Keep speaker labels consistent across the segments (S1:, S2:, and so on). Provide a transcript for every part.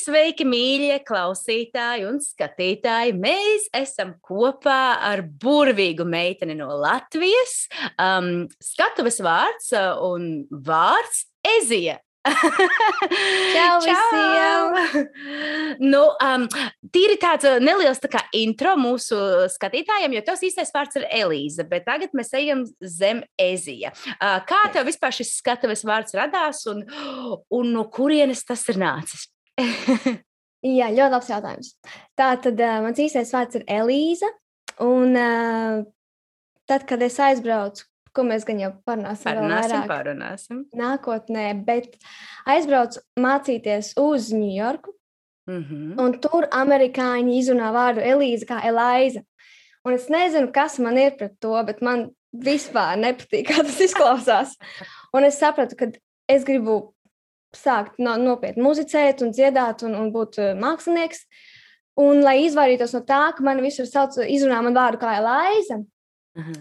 S1: Sveiki, mīļie klausītāji un skatītāji! Mēs esam kopā ar burvīgu meiteni no Latvijas. Skatuves vārds un vārds Ezija.
S2: Čau visiem!
S1: Nu, tīri tāds neliels tā kā intro mūsu skatītājiem, jo tavs īstais vārds ir Elīza, bet tagad mēs ejam zem Ezija. Kā tev vispār šis skatuves vārds radās un no kurienes tas ir nācis?
S2: Jā, ļoti labs jautājums. Tātad mans īstais vārds ir Elīza, un tad, kad es aizbraucu, ko mēs gan jau
S1: parunāsim
S2: nākotnē, bet aizbraucu mācīties uz Ņujorku, un tur amerikāņi izrunā vārdu Elīza kā Elaiza. Un es nezinu, kas man ir pret to, bet man vispār nepatīk, kā tas izklausās. Un es sapratu, ka es gribu sākt nopietni muzicēt un dziedāt un būt mākslinieks. Un, lai izvairītos no tā, ka mani visur izrunā man vārdu kā Elaiza,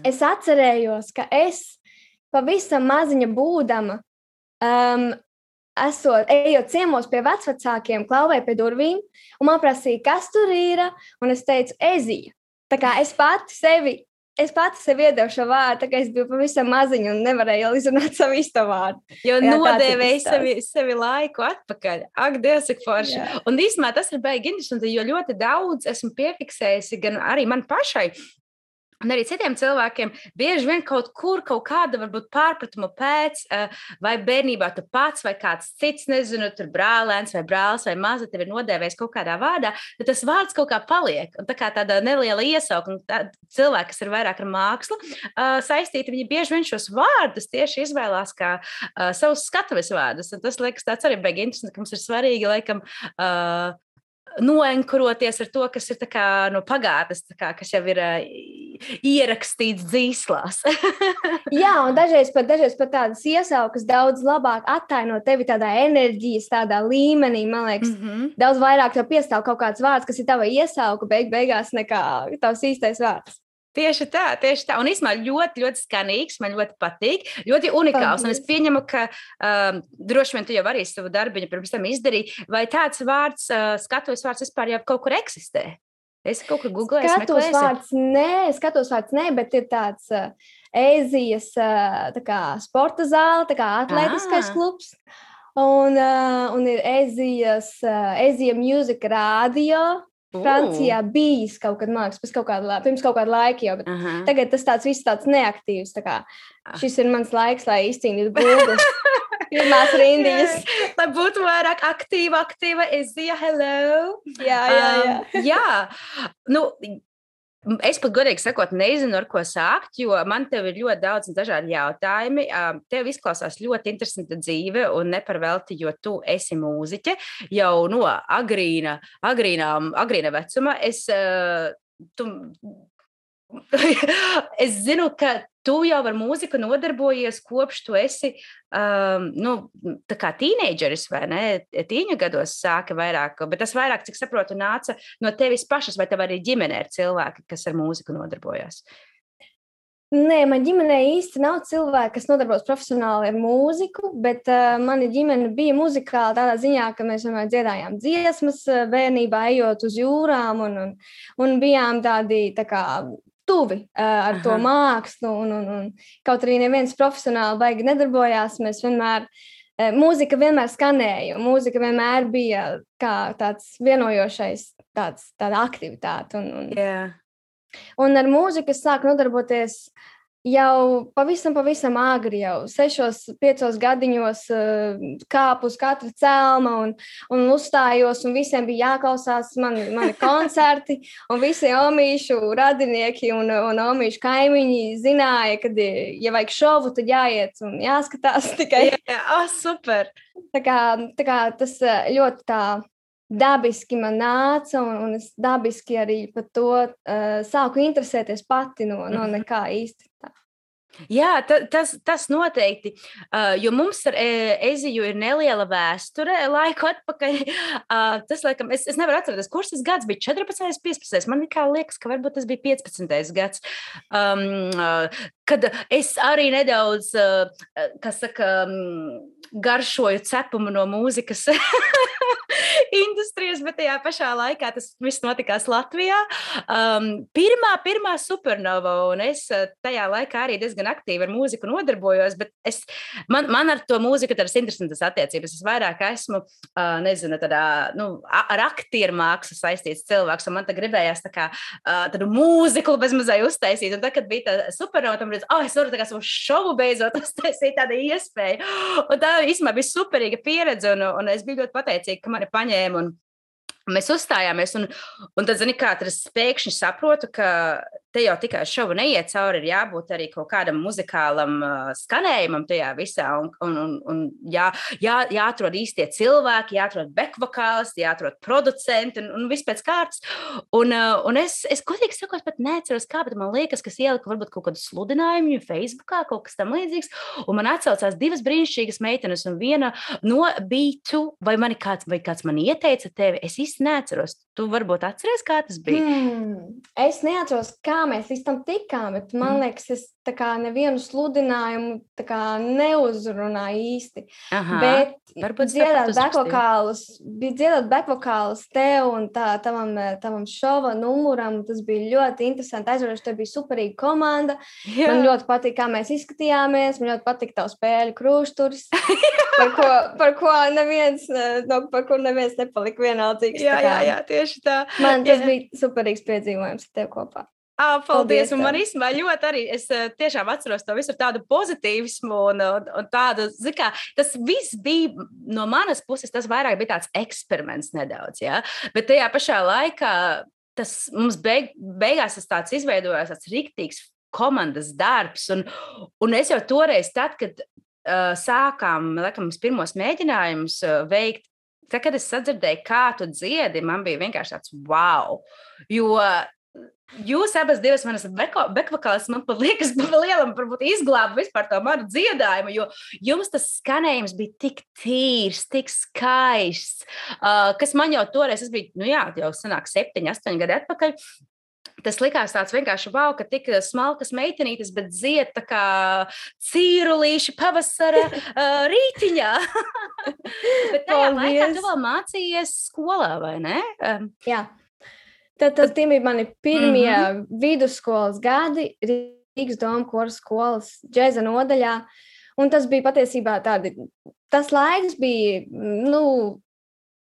S2: es atcerējos, ka es pavisam maziņa būdama, ejot ciemos pie vecvecākiem, klauvēju pie durvīm, un man prasīja, kas tur ir, un es teicu, Ezija. Tā kā es pati sevi iedevu šo vārdu, tā kā es biju pavisam maziņa un nevarēju izrunāt savu īsto vārdu.
S1: Jo nodēvēju sevi laiku atpakaļ. Ak, Dievs, cik forši. Jā. Un īstenībā tas ir baigi interesanti, jo ļoti daudz esmu piefiksējusi gan arī man pašai, un arī citiem cilvēkiem bieži vien kaut kāda varbūt pārpratuma pēc, vai bērnībā tu pats vai kāds cits, nezinu, tur brālēns vai brālis vai maza tevi ir nodēvējis kaut kādā vārdā, tad tas vārds kaut kā paliek. Un tā kā tāda neliela iesaukuma, cilvēki, kas ir vairāk ar mākslu saistīti, viņi bieži vien šos vārdus tieši izvēlās kā savus skatuves vārdus. Un tas liekas tāds arī baigi interesanti, ka mums ir svarīgi, laikam, noenkuroties ar to, kas ir tā kā no pagātnes, tā kā, kas jau ir ierakstīts dzīslās.
S2: Jā, un dažreiz pat tādas iesaukas daudz labāk attaino tevi tādā enerģijas, tādā līmenī, man liekas, daudz vairāk tev piestāv kaut kāds vārds, kas ir tava iesauka beigās nekā tavs īstais vārds.
S1: Tieši tā. Un īstenībā ļoti, ļoti skanīgs, man ļoti patīk, ļoti unikāls. Un es pieņemu, ka droši vien tu jau arī savu darbiņu pirms tam izdarīji, vai tāds vārds, skatuves vārds vispār jau kaut kur eksistē? Es kaut kur googlēju,
S2: Skatuves vārds nē, bet ir tāds Ezijas tā kā sporta zāle, tā kā atletiskais klubs. Un ir Ezija Music Radio. Francijā bijis kaut kad mākslas, pirms kaut kāda laika jau, bet tagad tas viss tāds neaktīvs. Tā kā šis ir mans laiks, lai izcīnītu Google pirmās rindiņas.
S1: Lai būtu vairāk aktīva, Ezija, hello! Jā. Nu, es pat godīgi sakot nezinu, ar ko sākt, jo man tev ir ļoti daudz dažādi jautājumi. Tev izklausās ļoti interesanta dzīve un neparvelti, jo tu esi mūziķe jau no agrīna vecuma. Es zinu, ka tu jau ar mūziku nodarbojies kopš tu esi tā kā tīneidžeris, vai ne? Tīņu gados sāka vairāk, bet tas vairāk, cik saprotu, nāca no tevis pašas, vai tev arī ģimenē ir cilvēki, kas ar mūziku nodarbojas?
S2: Nē, man ģimenē īsti nav cilvēki, kas nodarbojas profesionāli ar mūziku, bet mana ģimene bija muzikāla tādā ziņā, ka mēs vienmēr dziedājām dziesmas bērnībā, ejot uz jūrām un bijām tādi tā kā tuvi ar to mākslu, un kaut arī neviens profesionāli baigi nedarbojās, mēs vienmēr, mūzika vienmēr skanēja, mūzika vienmēr bija kā tāds vienojošais, tāda aktivitāte. Un ar mūziku es sāku nodarboties jau pavisam agri, jau 6-5 gadiņos kāpu uz katra celma un uzstājos, un visiem bija jāklausās mani koncerti, un visi omīšu radinieki un omīšu kaimiņi zināja, kad, ja vajag šovu, tad jāiet un jāskatās tikai.
S1: Jā, super!
S2: Tā kā tas ļoti tā dabiski man nāca, un es dabiski arī par to sāku interesēties pati no nekā īsti.
S1: Jā, tas noteikti, jo mums ar Eziju ir neliela vēsture laiku atpakaļ. Tas, laikam, es nevaru atcerēties, kurš tas gads bija 14. 15. Man kā liekas, ka varbūt tas bija 15. gads, kad es arī nedaudz, kas saka, garšoju cepumu no mūzikas industrijas, bet tajā pašā laikā tas viss notikās Latvijā. Pirmā supernova, un es tajā laikā arī diezgan aktīvi ar mūziku nodarbojos, bet man ar to mūziku tādas interesantas attiecības. Es vairāk esmu, nezinu, tādā, ar aktieru mākslu saistīts cilvēks, un man tā gribējās tādu mūziklu bezmazai uztaisīt, un tad, kad bija tā supernova, tam es varu tā kā savu šovu beidzot uztaisīt tādu iespēju. Un tā īstenībā bija superīga pieredze, un es biju ļoti pateicīga, ka mani paņēma un mēs uzstājāmies. Un tad, zini kā, tad es pēkšņi saprotu, ka te jau tikai šovu neiet cauri, ir jābūt arī kaut kādam muzikālam skanējumam tajā visā, un jāatrod īstie cilvēki, jāatrod backvokālisti, jāatrod producenti, un viss pēc kārtas. Un es godīgi sakot, pat neatceros kā, bet man liekas, kas ielika varbūt kaut kādu sludinājumu Facebookā, kaut kas tam līdzīgs, un man atsaucās divas brīnišķīgas meitenes, un viena no B2, vai kāds man ieteica tevi, es īsti neatceros. Tu varbūt atceries, kā tas bija?
S2: Es neatceros, kā mēs līdz tam tikām, bet man liekas, es tā kā nevienu sludinājumu tā kā neuzrunāju īsti. Bet dziedāt backvokālus tev un tavam šova numuram, tas bija ļoti interesanti. Aizvaroši, tev bija superīga komanda. Jā. Man ļoti patīk, kā mēs izskatījāmies. Man ļoti patīk tavu spēļu krūšturs, par ko neviens nepalika vienaldzīgs.
S1: Jā, tieši tā.
S2: Man tas bija superīgs piedzīvojums ar tev kopā.
S1: Paldies, un man īstenībā ļoti arī, es tiešām atceros to visu tādu pozitīvismu un tādu, zikā, tas viss bija no manas puses, tas vairāk bija tāds eksperiments nedaudz, jā, bet tajā pašā laikā tas mums beigās tas tāds izveidojās tāds riktīgs komandas darbs, un es jau toreiz tad, kad sākām, laikam, pirmos mēģinājumus veikt, tad, kad es sadzirdēju, kā tu dziedi, man bija vienkārši tāds wow, jo jūs abas divas manas backvokālis, man pat liekas, lielam varbūt izglāba vispār to manu dziedājumu, jo jums tas skanējums bija tik tīrs, tik skaists, kas man jau toreiz, es biju, jau sanāk 7, 8 gadi atpakaļ, tas likās tāds vienkārši wow, ka tik smalkas meitenītes, bet dzied tā kā cīrulīši pavasara rītiņā. Bet tajā laikā tu vēl mācījies skolā, vai ne?
S2: Jā. Tad tie bija mani pirmie vidusskolas gadi Rīgas Doma koru skolas džeza nodaļā, un tas bija patiesībā tas laiks bija,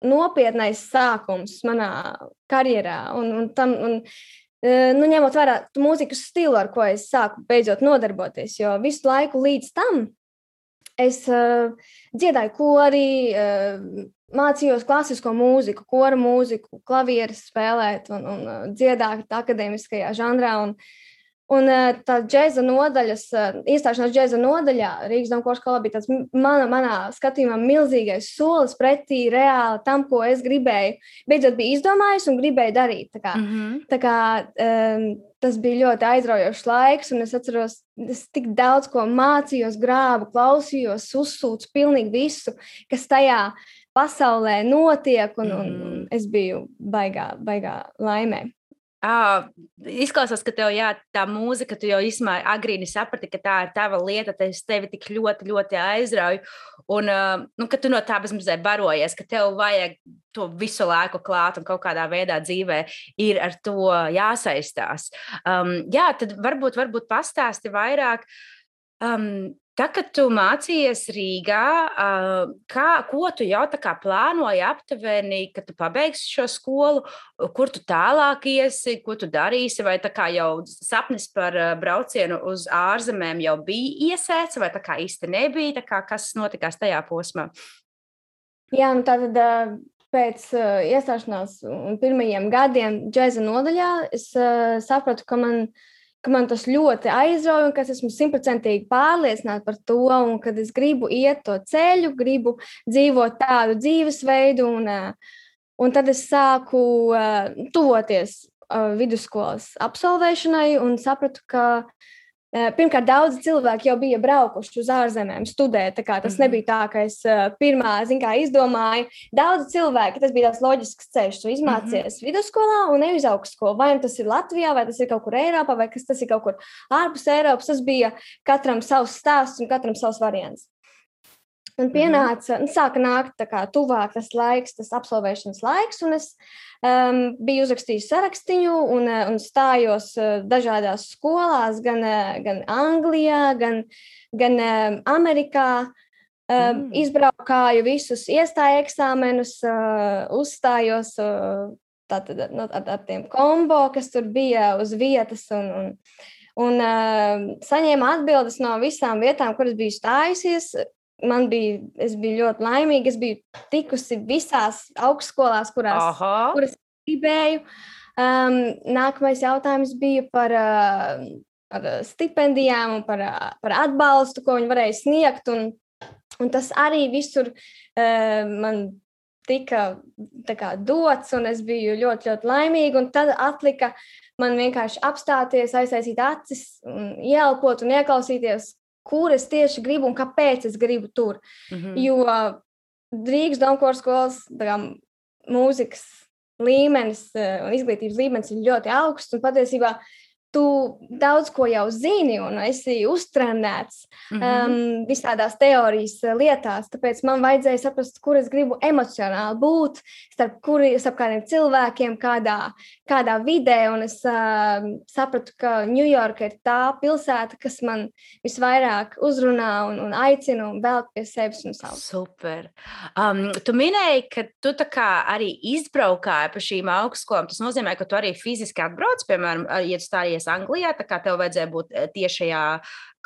S2: nopietnais sākums manā karjerā, ņemot vērā mūzikas stilu, ar ko es sāku beidzot nodarboties, jo visu laiku līdz tam es dziedāju korī, mācījos klasisko mūziku, koru mūziku, klavieres spēlēt un dziedāt akadēmiskajā žanrā. Un tā džeza nodaļas, iestāšanās džeza nodaļā Rīgas Doma koru skolā bija tāds manā skatījumā milzīgais solis pretī reāli tam, ko es gribēju. Beidzot bija izdomājis un gribēju darīt. Tā kā tas bija ļoti aizraujošs laiks, un es atceros, es tik daudz ko mācījos, grābu, klausījos, uzsūcu pilnīgi visu, kas tajā pasaulē notiek, un es biju baigā laimē.
S1: Izklausās, ka tev tā mūzika, tu jau agrīni saprati, ka tā ir tava lieta, tas tevi tik ļoti, ļoti aizrauj, un ka tu no tā bezmazliet barojies, ka tev vajag to visu laiku klāt un kaut kādā veidā dzīvē ir ar to jāsaistās. Tad varbūt pastāsti vairāk. Tā, kad tu mācījies Rīgā, ko tu jau tā kā plānoji aptuveni, kad tu pabeigsi šo skolu, kur tu tālāk iesi, ko tu darīsi, vai tā kā jau sapnis par braucienu uz ārzemēm jau bija iesēts, vai tā kā īsti nebija, tā kā kas notikās tajā posmā?
S2: Jā, tātad pēc iestāšanās pirmajiem gadiem džeza nodaļā es sapratu, ka man tas ļoti aizrauja un ka es esmu 100% pārliecināta par to un kad es gribu iet to ceļu, gribu dzīvot tādu dzīvesveidu un tad es sāku tuvoties vidusskolas absolvēšanai un sapratu, ka pirmkārt daudzi cilvēki jau bija braukuši uz ārzemēm studēt, tā kā tas nebija tā, ka es pirmā, izdomāju. Daudzi cilvēki, tas bija tāds loģisks ceļš, tu izmācies vidusskolā un ne uz augstskolu. Vai tas ir Latvijā, vai tas ir kaut kur Eiropā, vai tas ir kaut kur ārpus Eiropas. Tas bija katram savs stāsts un katram savs variants. Man pienāca, sāka nākt tā kā tuvāk tas laiks, tas absolvēšanas laiks, un es biju uzrakstījis sarakstiņu un stājos dažādās skolās, gan Anglijā, gan Amerikā. Izbraukāju visus iestāju eksāmenus, uzstājos tātad ar tiem kombo, kas tur bija uz vietas un saņēmu atbildes no visām vietām, kuras biju stājusies. Es biju ļoti laimīga, es biju tikusi visās augstskolās, kuras gribēju. Nākamais jautājums bija par stipendijām un par atbalstu, ko viņi varēja sniegt, un tas arī visur man tika tā kā dots, un es biju ļoti, ļoti laimīga, un tad atlika man vienkārši apstāties, aiztaisīt acis, ieelpot un ieklausīties, kur es tieši gribu un kāpēc es gribu tur. Jo Rīgas Domkora skolas mūzikas līmenis un izglītības līmenis ir ļoti augsts, un patiesībā tu daudz ko jau zini un esi uztrenēts visādās teorijas lietās, tāpēc man vajadzēja saprast, kur es gribu emocionāli būt, starp kādiem cilvēkiem, kādā vidē, un es sapratu, ka Ņujorka ir tā pilsēta, kas man visvairāk uzrunā un aicina un velk pie sevis un savu.
S1: Super. Tu minēji, ka tu tā kā arī izbraukāji pa šīm augstskolām. Tas nozīmē, ka tu arī fiziski atbrauc, piemēram, ja tu stājies Anglijā, tā kā tev vajadzēja būt tiešajā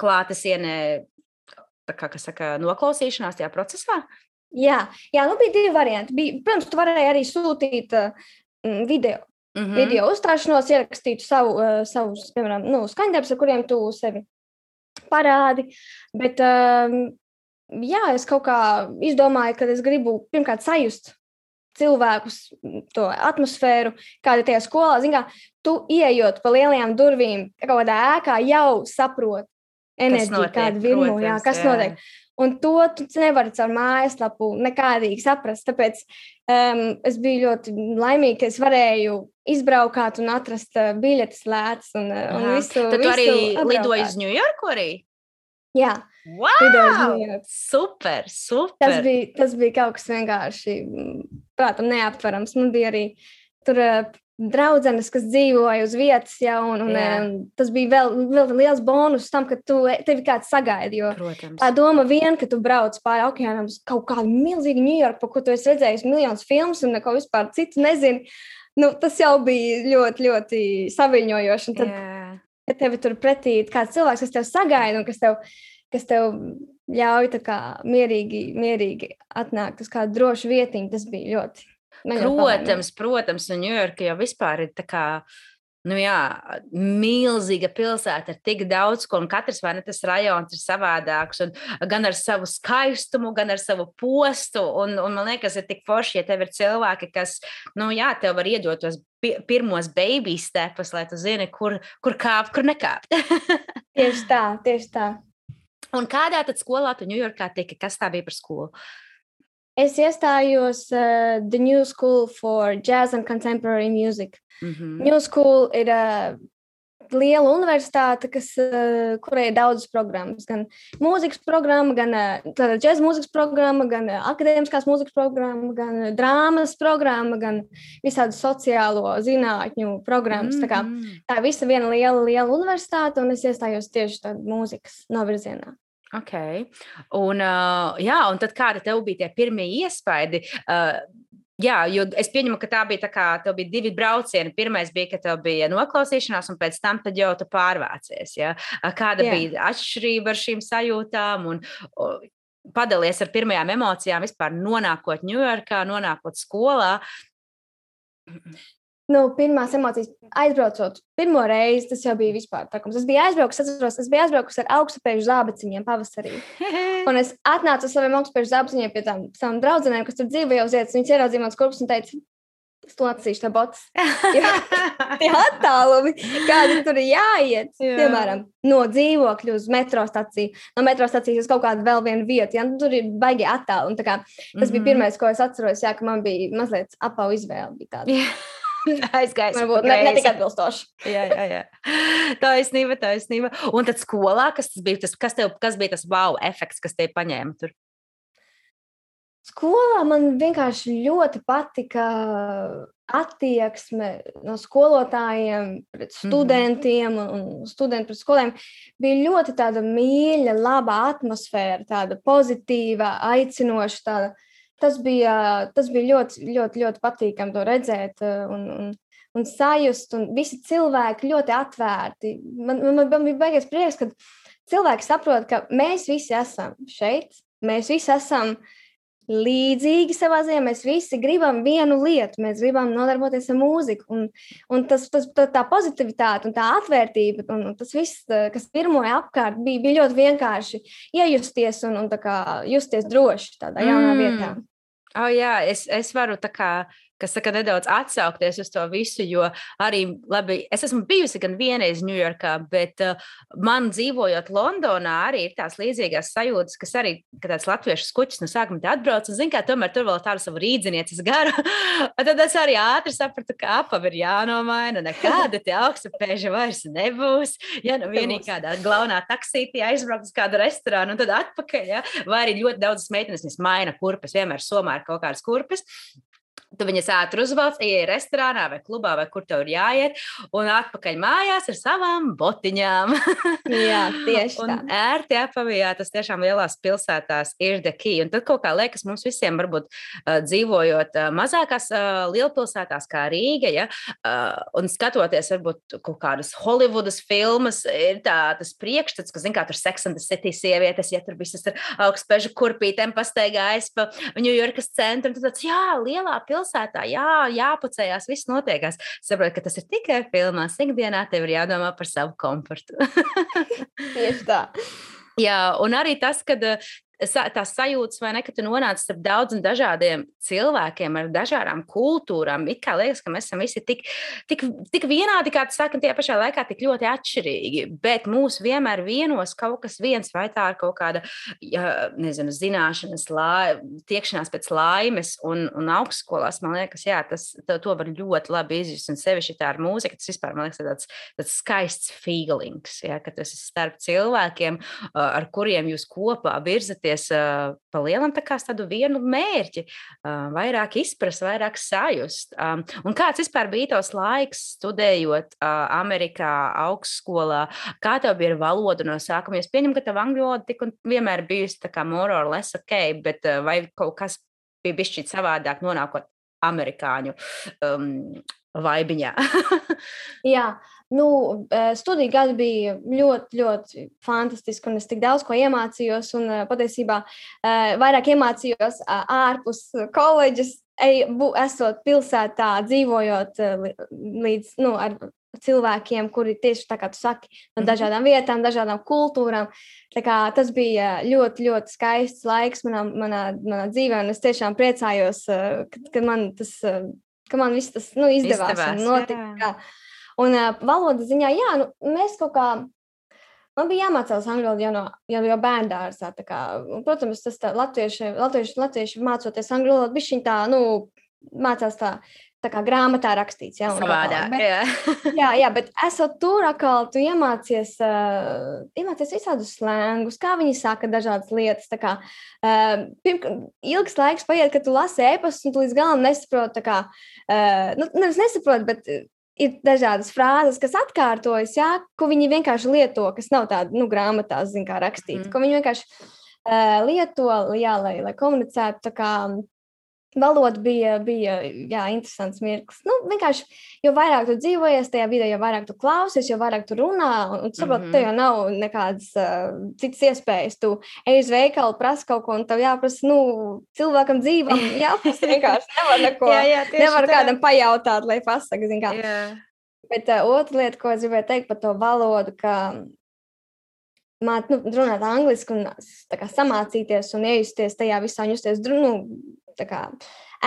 S1: klātesienē, tā kā, kas saka, noklausīšanās tajā procesā?
S2: Jā, bija divi varianti. Protams, tu varēji arī sūtīt video uzstāšanos, ierakstītu savus, piemēram, skaņdarbus, ar kuriem tu sevi parādi, bet es kaut kā izdomāju, ka es gribu pirmkārt sajust cilvēkus, to atmosfēru, kāda tajā skolā. Zin kā, tu ieejot pa lielajām durvīm kaut kādā ēkā, jau saproti enerģiju, kāda virmo, kas notiek. Un to tu nevari caur mājaslapu nekādīgi saprast. Tāpēc es biju ļoti laimīga, ka es varēju izbraukāt un atrast biļetes lētas un visu.
S1: Tad tu arī lidoji uz Ņujorku arī?
S2: Jā.
S1: Wow! Super!
S2: Tas bija kaut kas vienkārši, prātam, neaptverams. Man bija arī tur draudzenes, kas dzīvoja uz vietas, un tas bija vēl liels bonus tam, ka tevi kāds sagaida, jo tā doma vien, ka tu brauc pāri okeānam uz kaut kādu milzīgu Ņujorku, par ko tu esi redzējis miljonus filmus un neko vispār citu nezini, tas jau bija ļoti, ļoti saviņojoši. Un tad, kad tevi tur pretī kāds cilvēks, kas tev sagaida un kas tev ļauj tā kā mierīgi atnākt uz kādu drošu vietiņu, tas bija ļoti.
S1: Protams, un Ņujorka jau vispār ir tā kā, milzīga pilsēta ar tik daudz, un katrs vai ne tas rajons ir savādāks, un gan ar savu skaistumu, gan ar savu postu, un man liekas, ir tik forši, ja tev ir cilvēki, kas, tev var iedot tos pirmos baby stepus, lai tu zini, kur kāpt, kur nekāpt.
S2: Tieši tā.
S1: Un kādā tad skolā tu Ņujorkā tiki? Kas tā bija par skolu?
S2: Es iestājos The New School for Jazz and Contemporary Music. New School ir liela universitāte, kurai ir daudzas programmas. Gan mūzikas programma, gan džēza mūzikas programma, gan akadēmiskās mūzikas programma, gan drāmas programma, gan visādu sociālo zinātņu programmas. Tā visa viena liela universitāte, un es iestājos tieši tādā mūzikas novirzienā.
S1: Ok. Un tad kāda tev bija tie pirmie iespaidi? Jo es pieņemu, ka tā bija tā kā, tev bija divi braucieni. Pirmais bija, ka tev bija noklausīšanās, un pēc tam tad jau tu pārvācies. Ja? Kāda bija atšķirība ar šīm sajūtām? Un padalies ar pirmajām emocijām vispār nonākot Ņujorkā, nonākot skolā?
S2: Pirmās emocijas aizbraucot pirmo reizi, tas jau bija vispār trakums. Es biju aizbraukusi ar augstupēžu zābaciņiem pavasarī. Un es atnācu ar saviem augstupēžu zābaciņiem pie savām draudzenēm, kas tur dzīvoja uz vietas. Viņas ieraudzīja mans kurpus un teica, es to atsīšu tā botas. Tie attālumi, kādi tur ir jāiet. Piemēram, no dzīvokļu uz metro staciju. No metro stacijas uz kaut kādu vēl vienu vietu. Tur ir baigi attālumi. Tas bija pirmais, ko es atceros, ka man bija mazliet apavu izvēle. Bija tāda.
S1: Aizgājis.
S2: Varbūt ne tik atbilstoši.
S1: Jā. Taisnība. Un tad skolā, kas bija tas wow efekts, kas tev paņēma tur?
S2: Skolā man vienkārši ļoti patika attieksme no skolotājiem pret studentiem un studenti pret skolēm. Bija ļoti tāda mīļa, laba atmosfēra, tāda pozitīva, aicinoša. Tas bija ļoti, ļoti, ļoti patīkami to redzēt un sajust, un visi cilvēki ļoti atvērti. Man bija baigies prieks, ka cilvēki saprot, ka mēs visi esam šeit, mēs visi esam līdzīgi savā ziņā, mēs visi gribam vienu lietu, mēs gribam nodarboties ar mūziku, un tā pozitivitāte un tā atvērtība, un tas viss, kas pirmoja apkārt, bija ļoti vienkārši iejusties un tā kā justies droši tādā jaunā vietā.
S1: Jā, es varu tā kā, kas saka, nedaudz atsaukties uz to visu, jo arī labi, es esmu bijusi gan vienreiz Ņujorkā, bet man dzīvojot Londonā arī ir tās līdzīgās sajūtas, kas arī, ka tāds latviešu skuķis no sākuma te atbrauc, un zin kā, tomēr tur vēl tādu savu rīdzinieces garu, un tad es arī ātri sapratu, ka apavi ir jānomaina, nekāda te augstapēža vairs nebūs, ja nu vienīgi kādā glaunā taksītī aizbraukt uz kādu restorānu, un tad atpakaļ, ja? Vai arī ļoti daudzas meitenes maina kurpes, vienmēr somā ir kaut kādas kurpes. Tu viņas ātri uzvelc, ieej restorānā vai klubā, vai kur tev ir jāiet, un atpakaļ mājās ar savām botiņām.
S2: Jā, tieši tā.
S1: Un ērti apavijā, tas tiešām lielās pilsētās ir the key. Un tad kaut kā liekas mums visiem, varbūt dzīvojot mazākās lielpilsētās kā Rīga, ja, un skatoties varbūt kaut kādas Hollywoodas filmas, ir tas priekšstats, ka, zin kā, tur Sex and the City sievietes, ja tur visas ar augstpežu kurpītēm pastaigājas pa Ņujorkas centru, un tad tāds, jā, lielā pilsētā, jāpucējās, viss notiekās. Saprotu, ka tas ir tikai filmās. Ikdienā tev ir jādomā par savu komfortu.
S2: Tieši tā.
S1: Jā, un arī tas, kad tās sajūtas, vai ne, ka tu nonāc starp daudz un dažādiem cilvēkiem ar dažādām kultūrām. It kā liekas, ka mēs esam visi tik vienādi, kā tu saki, un tajā pašā laikā tik ļoti atšķirīgi, bet mūs vienmēr vienos kaut kas viens, vai tā ir kaut kāda, nezinu, zināšanas, tiekšanās pēc laimes, un augstskolās, man liekas, jā, to var ļoti labi izjust, un sevišķi tā ar mūziku, tas vispār, man liekas, tāds skaists feelings, ja, ka tas ir starp cilvēkiem, ar kuriem jūs kopā virzaties pa lielam tādu vienu mērķi, vairāk izprast, vairāk sajust. Un kāds vispār bija tos laiks studējot Amerikā, augstskolā? Kā tev bija ar valodu no sākuma? Es pieņemu, ka tev angļu valoda tik un vienmēr bijusi tā kā more or less ok, bet vai kaut kas bija bišķīt savādāk nonākot amerikāņu vaibiņā?
S2: Jā. Studiju gadi bija ļoti, ļoti fantastiski, un es tik daudz ko iemācījos, un patiesībā vairāk iemācījos ārpus koledžas, esot pilsētā, dzīvojot līdz, ar cilvēkiem, kuri tieši tā kā tu saki, no dažādām vietām, dažādām kultūrām. Tā kā tas bija ļoti, ļoti skaists laiks manā dzīvē, un es tiešām priecājos, ka man viss tas izdevās un notika. Jā. Un valodas ziņā, mēs kaut kā, man bija jāmācās angļu valodu jau bērndārzā, tā kā, protams, tas tā latvieši mācoties angļu valodu, bišķiņ tā, mācās tā kā grāmatā rakstīts, jā.
S1: Savādāk,
S2: jā, bet esot tur atkal, tu iemācies visādus slēngus, kā viņi saka dažādas lietas, tā kā, ilgs laiks paiet, kad tu lasi ēpastus, un tu līdz galam nesaproti, tā kā, nevis nesaproti, bet ir dažādas frāzes, kas atkārtojas, ko viņi vienkārši lieto, kas nav tāda, grāmatās, zin kā rakstīts, ko viņi vienkārši lieto, lai komunicētu, tā kā valoda bija interesants mirklis. Vienkārši, jo vairāk tu dzīvojies tajā vidē, jo vairāk tu klausies, jo vairāk tu runā, un saproti, tev jau nav nekādas citas iespējas. Tu ej uz veikalu, prasa kaut ko, un tev jāprasa, cilvēkam dzīvam, jāprasa vienkārši, nevar neko, nevar kādam pajautāt, lai pasaka, zin kā. Bet otra lieta, ko es gribēju teikt par to valodu, ka runāt angliski un tā kā samācīties un iejusties tajā visā un justies, tā kā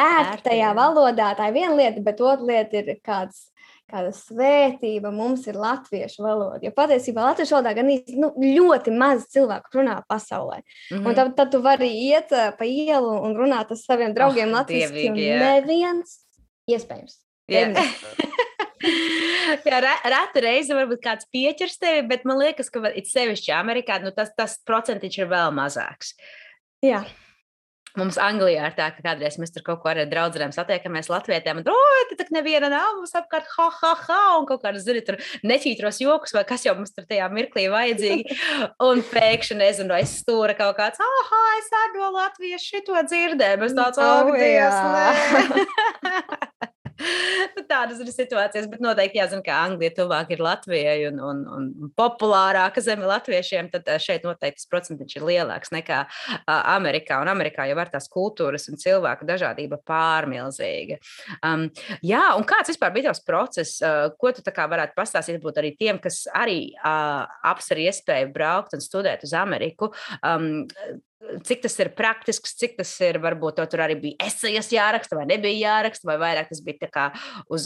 S2: ērti tajā valodā, tā ir viena lieta, bet otra lieta ir kāda svētība mums ir latviešu valoda. Jo patiesībā latviešu valodā gan ļoti maz cilvēku runā pasaulē. Un tad tu vari iet pa ielu un runāt ar saviem draugiem latviski, un neviens iespējams.
S1: Jā, reta reize varbūt kāds pieķers tevi, bet man liekas, ka it sevišķi Amerikā, tas procentiņš ir vēl mazāks.
S2: Jā.
S1: Mums Anglijā ir tā, ka kādreiz mēs tur kaut ko ar draudzenēm satiekamies latvietēm, un, te tak neviena nav, mums apkārt, un kaut kādas, zini, tur neķītros jokus, vai kas jau mums tur tajā mirklī vajadzīgi, un pēkšņi, nezinu, aiz stūra kaut kāds, es ar no Latvijas šito dzirdēju, mēs tāds, Dievs, nē. Tādas ir situācijas, bet noteikti jāzina, ka Anglija tuvāk ir Latvijai un populārāka zeme latviešiem, tad šeit noteikti tas procentiņš ir lielāks nekā Amerikā. Un Amerikā jau var tās kultūras un cilvēku dažādība pārmilzīga. Jā, un kāds vispār bija tavs process? Ko tu tā kā varētu pastāstīt būt arī tiem, kas arī apsver iespēju braukt un studēt uz Ameriku? Cik tas ir praktisks, cik tas ir, varbūt tur arī bija esejas jāraksta vai nebija jāraksta, vai vairāk tas bija tā kā uz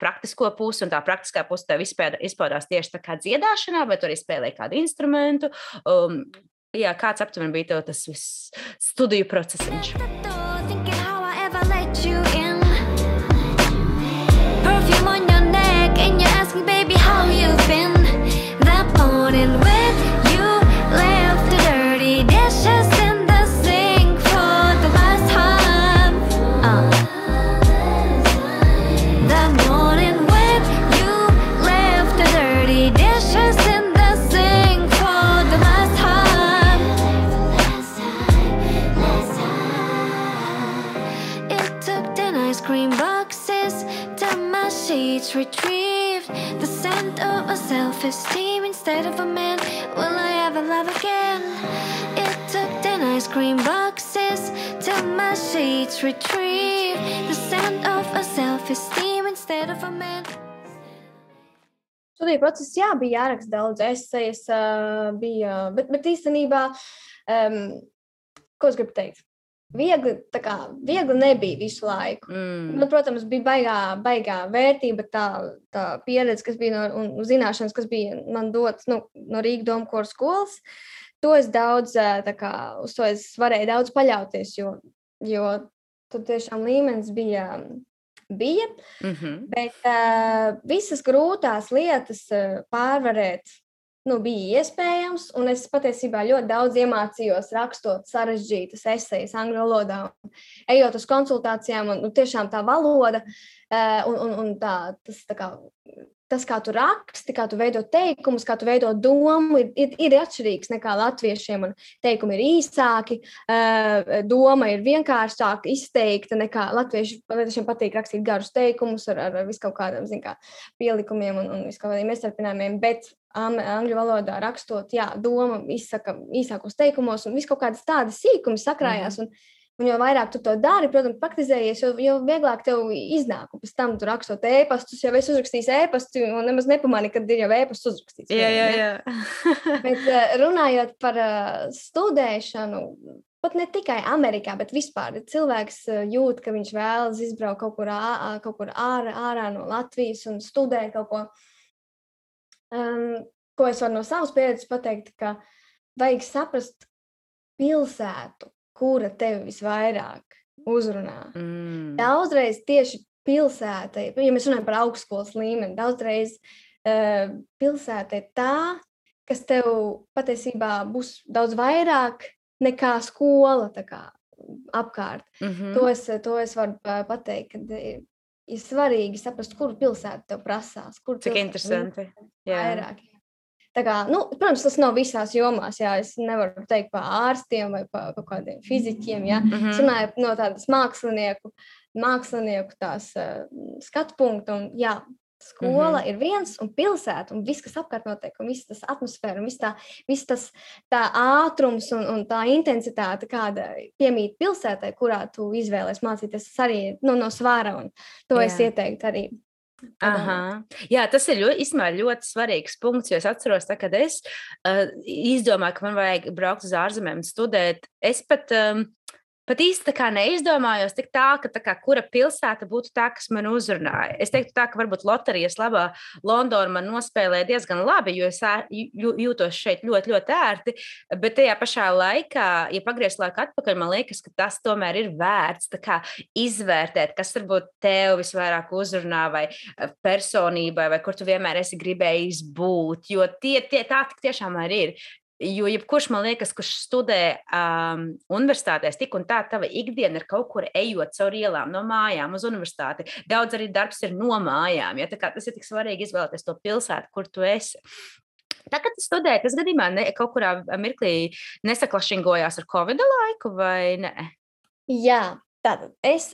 S1: praktisko pusi, un tā praktiskā puse tev izpaudās tieši tā kā dziedāšanā, vai tu arī spēlēji kādu instrumentu. Jā, kāds aptuveni bija tev tas viss studiju procesiņš? Perfume on your neck and you ask me, baby, how you've been. That morning when you left the dirty dishes in the sink for the last time. That morning when you left the dirty dishes in the sink for the last time. It took 10 ice cream boxes till my sheets retrieved the scent of a self-esteem instead of a man. Will I ever love again? It took 10 ice cream boxes till my sheets retrieved the scent of a self-esteem instead of a man.
S2: Studiju process, jā, bija jāraksta daudz esejas, bet īstenībā, ko es gribu teikt? Viegli nebija visu laiku. Man, protams, bija baigā vērtība, tā pieredze, kas bija un zināšanas, kas bija man dots no Rīgas Doma kora skolas. To es daudz, uz to es varēju daudz paļauties, jo tur tiešām līmenis bija, bet visas grūtās lietas pārvarēt bija iespējams, un es patiesībā ļoti daudz iemācījos rakstot sarežģītas esejas angļu valodā, ejot uz konsultācijām, un tiešām tā valoda, un tas, kā tu raksti, kā tu veido teikumus, kā tu veido domu, ir atšķirīgs nekā latviešiem, un teikumi ir īsāki, doma ir vienkāršāk izteikta nekā latviešiem patīk rakstīt garus teikumus ar viskaut kādiem, pielikumiem un viskaut kādiem iestarpinājumiem, bet angļu valodā rakstot, jā, doma izsaka īsākos teikumos, un viskaut kādas tādas sīkumi sakrājās, un jo vairāk tu to dari, protams, praktizējies, jo vieglāk tev iznāk, un pēc tam tu rakstot ēpastus, jau es uzrakstīju ēpastu, un nemaz nepamani, kad ir jau ēpasts uzrakstīts.
S1: Jā.
S2: Bet runājot par studēšanu, pat ne tikai Amerikā, bet vispār cilvēks jūt, ka viņš vēlas izbraukt kaut kur ārā no Latvijas un studēt kaut ko. Ko es varu no savas pieredzes pateikt, ka vajag saprast pilsētu, kura tevi visvairāk uzrunā. Daudzreiz tieši pilsēta, ja mēs runājam par augstskolas līmeni, daudzreiz pilsēta ir tā, kas tev patiesībā būs daudz vairāk nekā skola tā kā apkārt. To es varu pateikt, ka ir svarīgi saprast, kuru pilsētu tev prasās.
S1: Cik interesanti.
S2: Vairāk. Tā kā, protams, tas nav visās jomās, jā, es nevaru teikt par ārstiem vai par kaut kādiem fiziķiem, jā. Es runāju no tādas mākslinieku tās skatu punktu, un jā, skola ir viens, un pilsēta, un viss, kas apkārt notiek, un viss tas atmosfēra, un viss tas tā ātrums un tā intensitāte, kāda piemīt pilsētai, kurā tu izvēlies mācīties, tas arī no svāra, un to es ieteiktu arī.
S1: Jā, tas ir ļoti svarīgs punkts, jo es atceros, kad es izdomāju, ka man vajag braukt uz ārzemēm un studēt. Es pat īsti tā kā neizdomājos tik tā, ka kura pilsēta būtu tā, kas man uzrunāja. Es teiktu tā, ka varbūt loterijas labā Londona man nospēlēja diezgan labi, jo es jūtos šeit ļoti, ļoti ērti, bet tajā pašā laikā, ja pagriezt laiku atpakaļ, man liekas, ka tas tomēr ir vērts tā kā izvērtēt, kas varbūt tev visvairāk uzrunā vai personībai, vai kur tu vienmēr esi gribējis būt, jo tā tiešām arī ir. Jo jebkurš, man liekas, kurš studē universitātēs, tik un tā tava ikdiena ir kaut kur ejot caur ielām, no mājām uz universitāti. Daudz arī darbs ir no mājām. Ja? Tā kā tas ir tik svarīgi izvēlēties to pilsētu, kur tu esi. Tā, kad tu studēji, tas gadījumā kaut kurā mirklī nesaklašingojās ar Covid laiku, vai ne?
S2: Jā, tātad es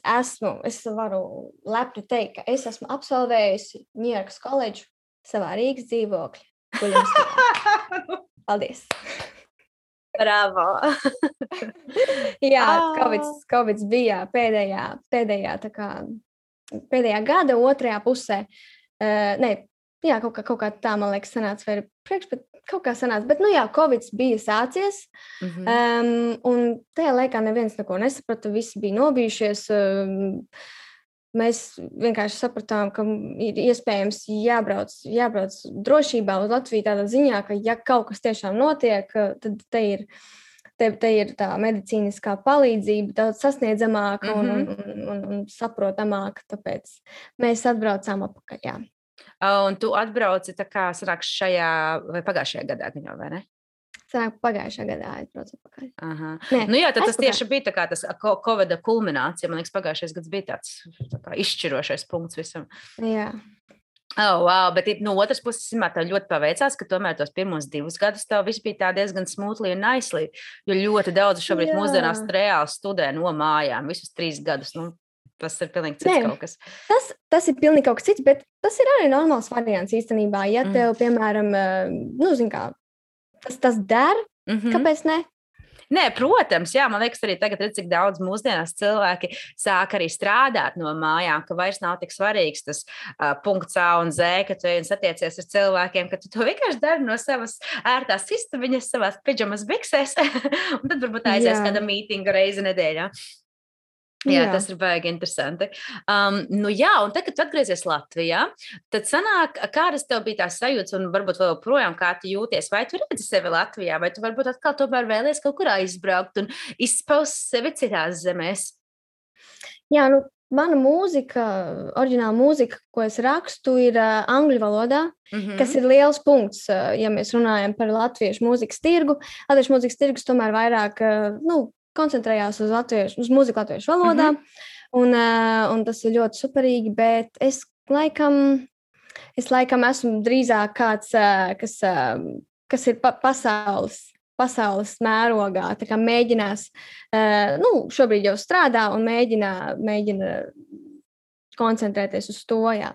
S2: varu lepni teikt, ka es esmu absolvējusi Ņujorkas koledžu savā Rīgas dzīvokļa. Paldies!
S1: Bravo!
S2: Jā, Covid bija pēdējā gada otrajā pusē. Jā, kaut kā tā, man liekas, sanāca, vai bet kaut kā sanāca. Bet, Covid bija sācies, un tajā laikā neviens neko nesaprata, visi bija nobijušies. Mēs vienkārši sapratām, ka ir iespējams jābrauc drošībā uz Latviju tādā ziņā, ka ja kaut kas tiešām notiek, tad te ir tā medicīniskā palīdzība daudz sasniedzamāka un saprotamāka, tāpēc mēs atbraucām atpakaļ, jā.
S1: Un tu atbrauci tā kā sanāk šajā vai pagājušajā gadā, vai ne?
S2: Sanāk pagājušajā gadā atbraucu atpakaļ.
S1: Nē, tad tas tieši bija tā kā tas Covida kulminācija. Man liekas, pagājušais gads bija tāds tā kā izšķirošais punkts visam.
S2: Jā.
S1: Wow, bet no otras puses, tev ļoti paveicās, ka tomēr tos pirmos 2 gadus tev viss bija tā diezgan smoothly un nicely, jo ļoti daudz šobrīd mūsdienās reāli studē no mājām visus 3 gadus. Tas ir pilnīgi cits kaut kas.
S2: Tas ir pilnīgi kaut kas cits, bet tas ir arī normāls variants īstenībā. Ja tev, piemēram, tas der, kāpēc ne?
S1: Nē, protams, jā, man liekas, arī tagad redz, cik daudz mūsdienās cilvēki sāk arī strādāt no mājām, ka vairs nav tik svarīgs tas punkts A un Z, ka tu satiecies ar cilvēkiem, ka tu to vienkārši dari no savas ērtās istabiņas, savās pidžamas biksēs, un tad varbūt aizies kāda mītinga reizi nedēļā. Jā, tas ir baigi interesanti. Un tad, kad tu atgriezies Latvijā, tad sanāk, kādas tev bija tās sajūtas un varbūt vēl projām, kā tu jūties? Vai tu redzi sevi Latvijā, vai tu varbūt atkal tomēr vēlies kaut kur aizbraukt un izpaust sevi citās zemēs?
S2: Jā, mana mūzika, oriģināla mūzika, ko es rakstu, ir angļu valodā, kas ir liels punkts, ja mēs runājam par latviešu mūzikas tirgu. Latviešu mūzikas tirgus tomēr vairāk, koncentrējās uz mūziku latviešu valodā, un tas ir ļoti superīgi, bet es laikam esmu drīzāk kāds, kas ir pasaules mērogā, tā kā mēģinās, šobrīd jau strādā un mēģina koncentrēties uz to, jā.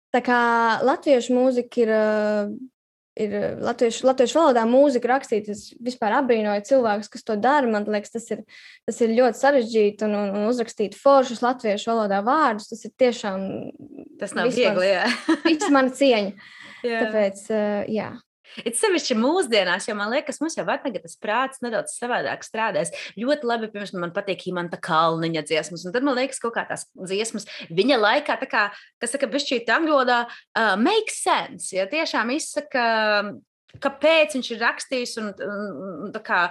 S2: Tā kā latviešu mūzika ir latviešu valodā mūzika rakstīt, es vispār abrīnoju cilvēkus, kas to dara. Man liekas, tas ir ļoti sarežģīti un uzrakstīt foršus latviešu valodā vārdus. Tas ir tiešām...
S1: Tas nav viegli, jā.
S2: Viss mana cieņa. Tāpēc, jā.
S1: Ir sevišķi mūsdienās, jo man liekas, mums jau tagad tas prāts nedaudz savādāk strādājas. Ļoti labi, piemēram, man patīk Imanta Kalniņa dziesmas, un tad man liekas, kaut kā tās dziesmas viņa laikā, tā kā, kas saka, bišķīt angļu valodā, make sense, ja tiešām izsaka, kāpēc viņš ir rakstījis un tā kā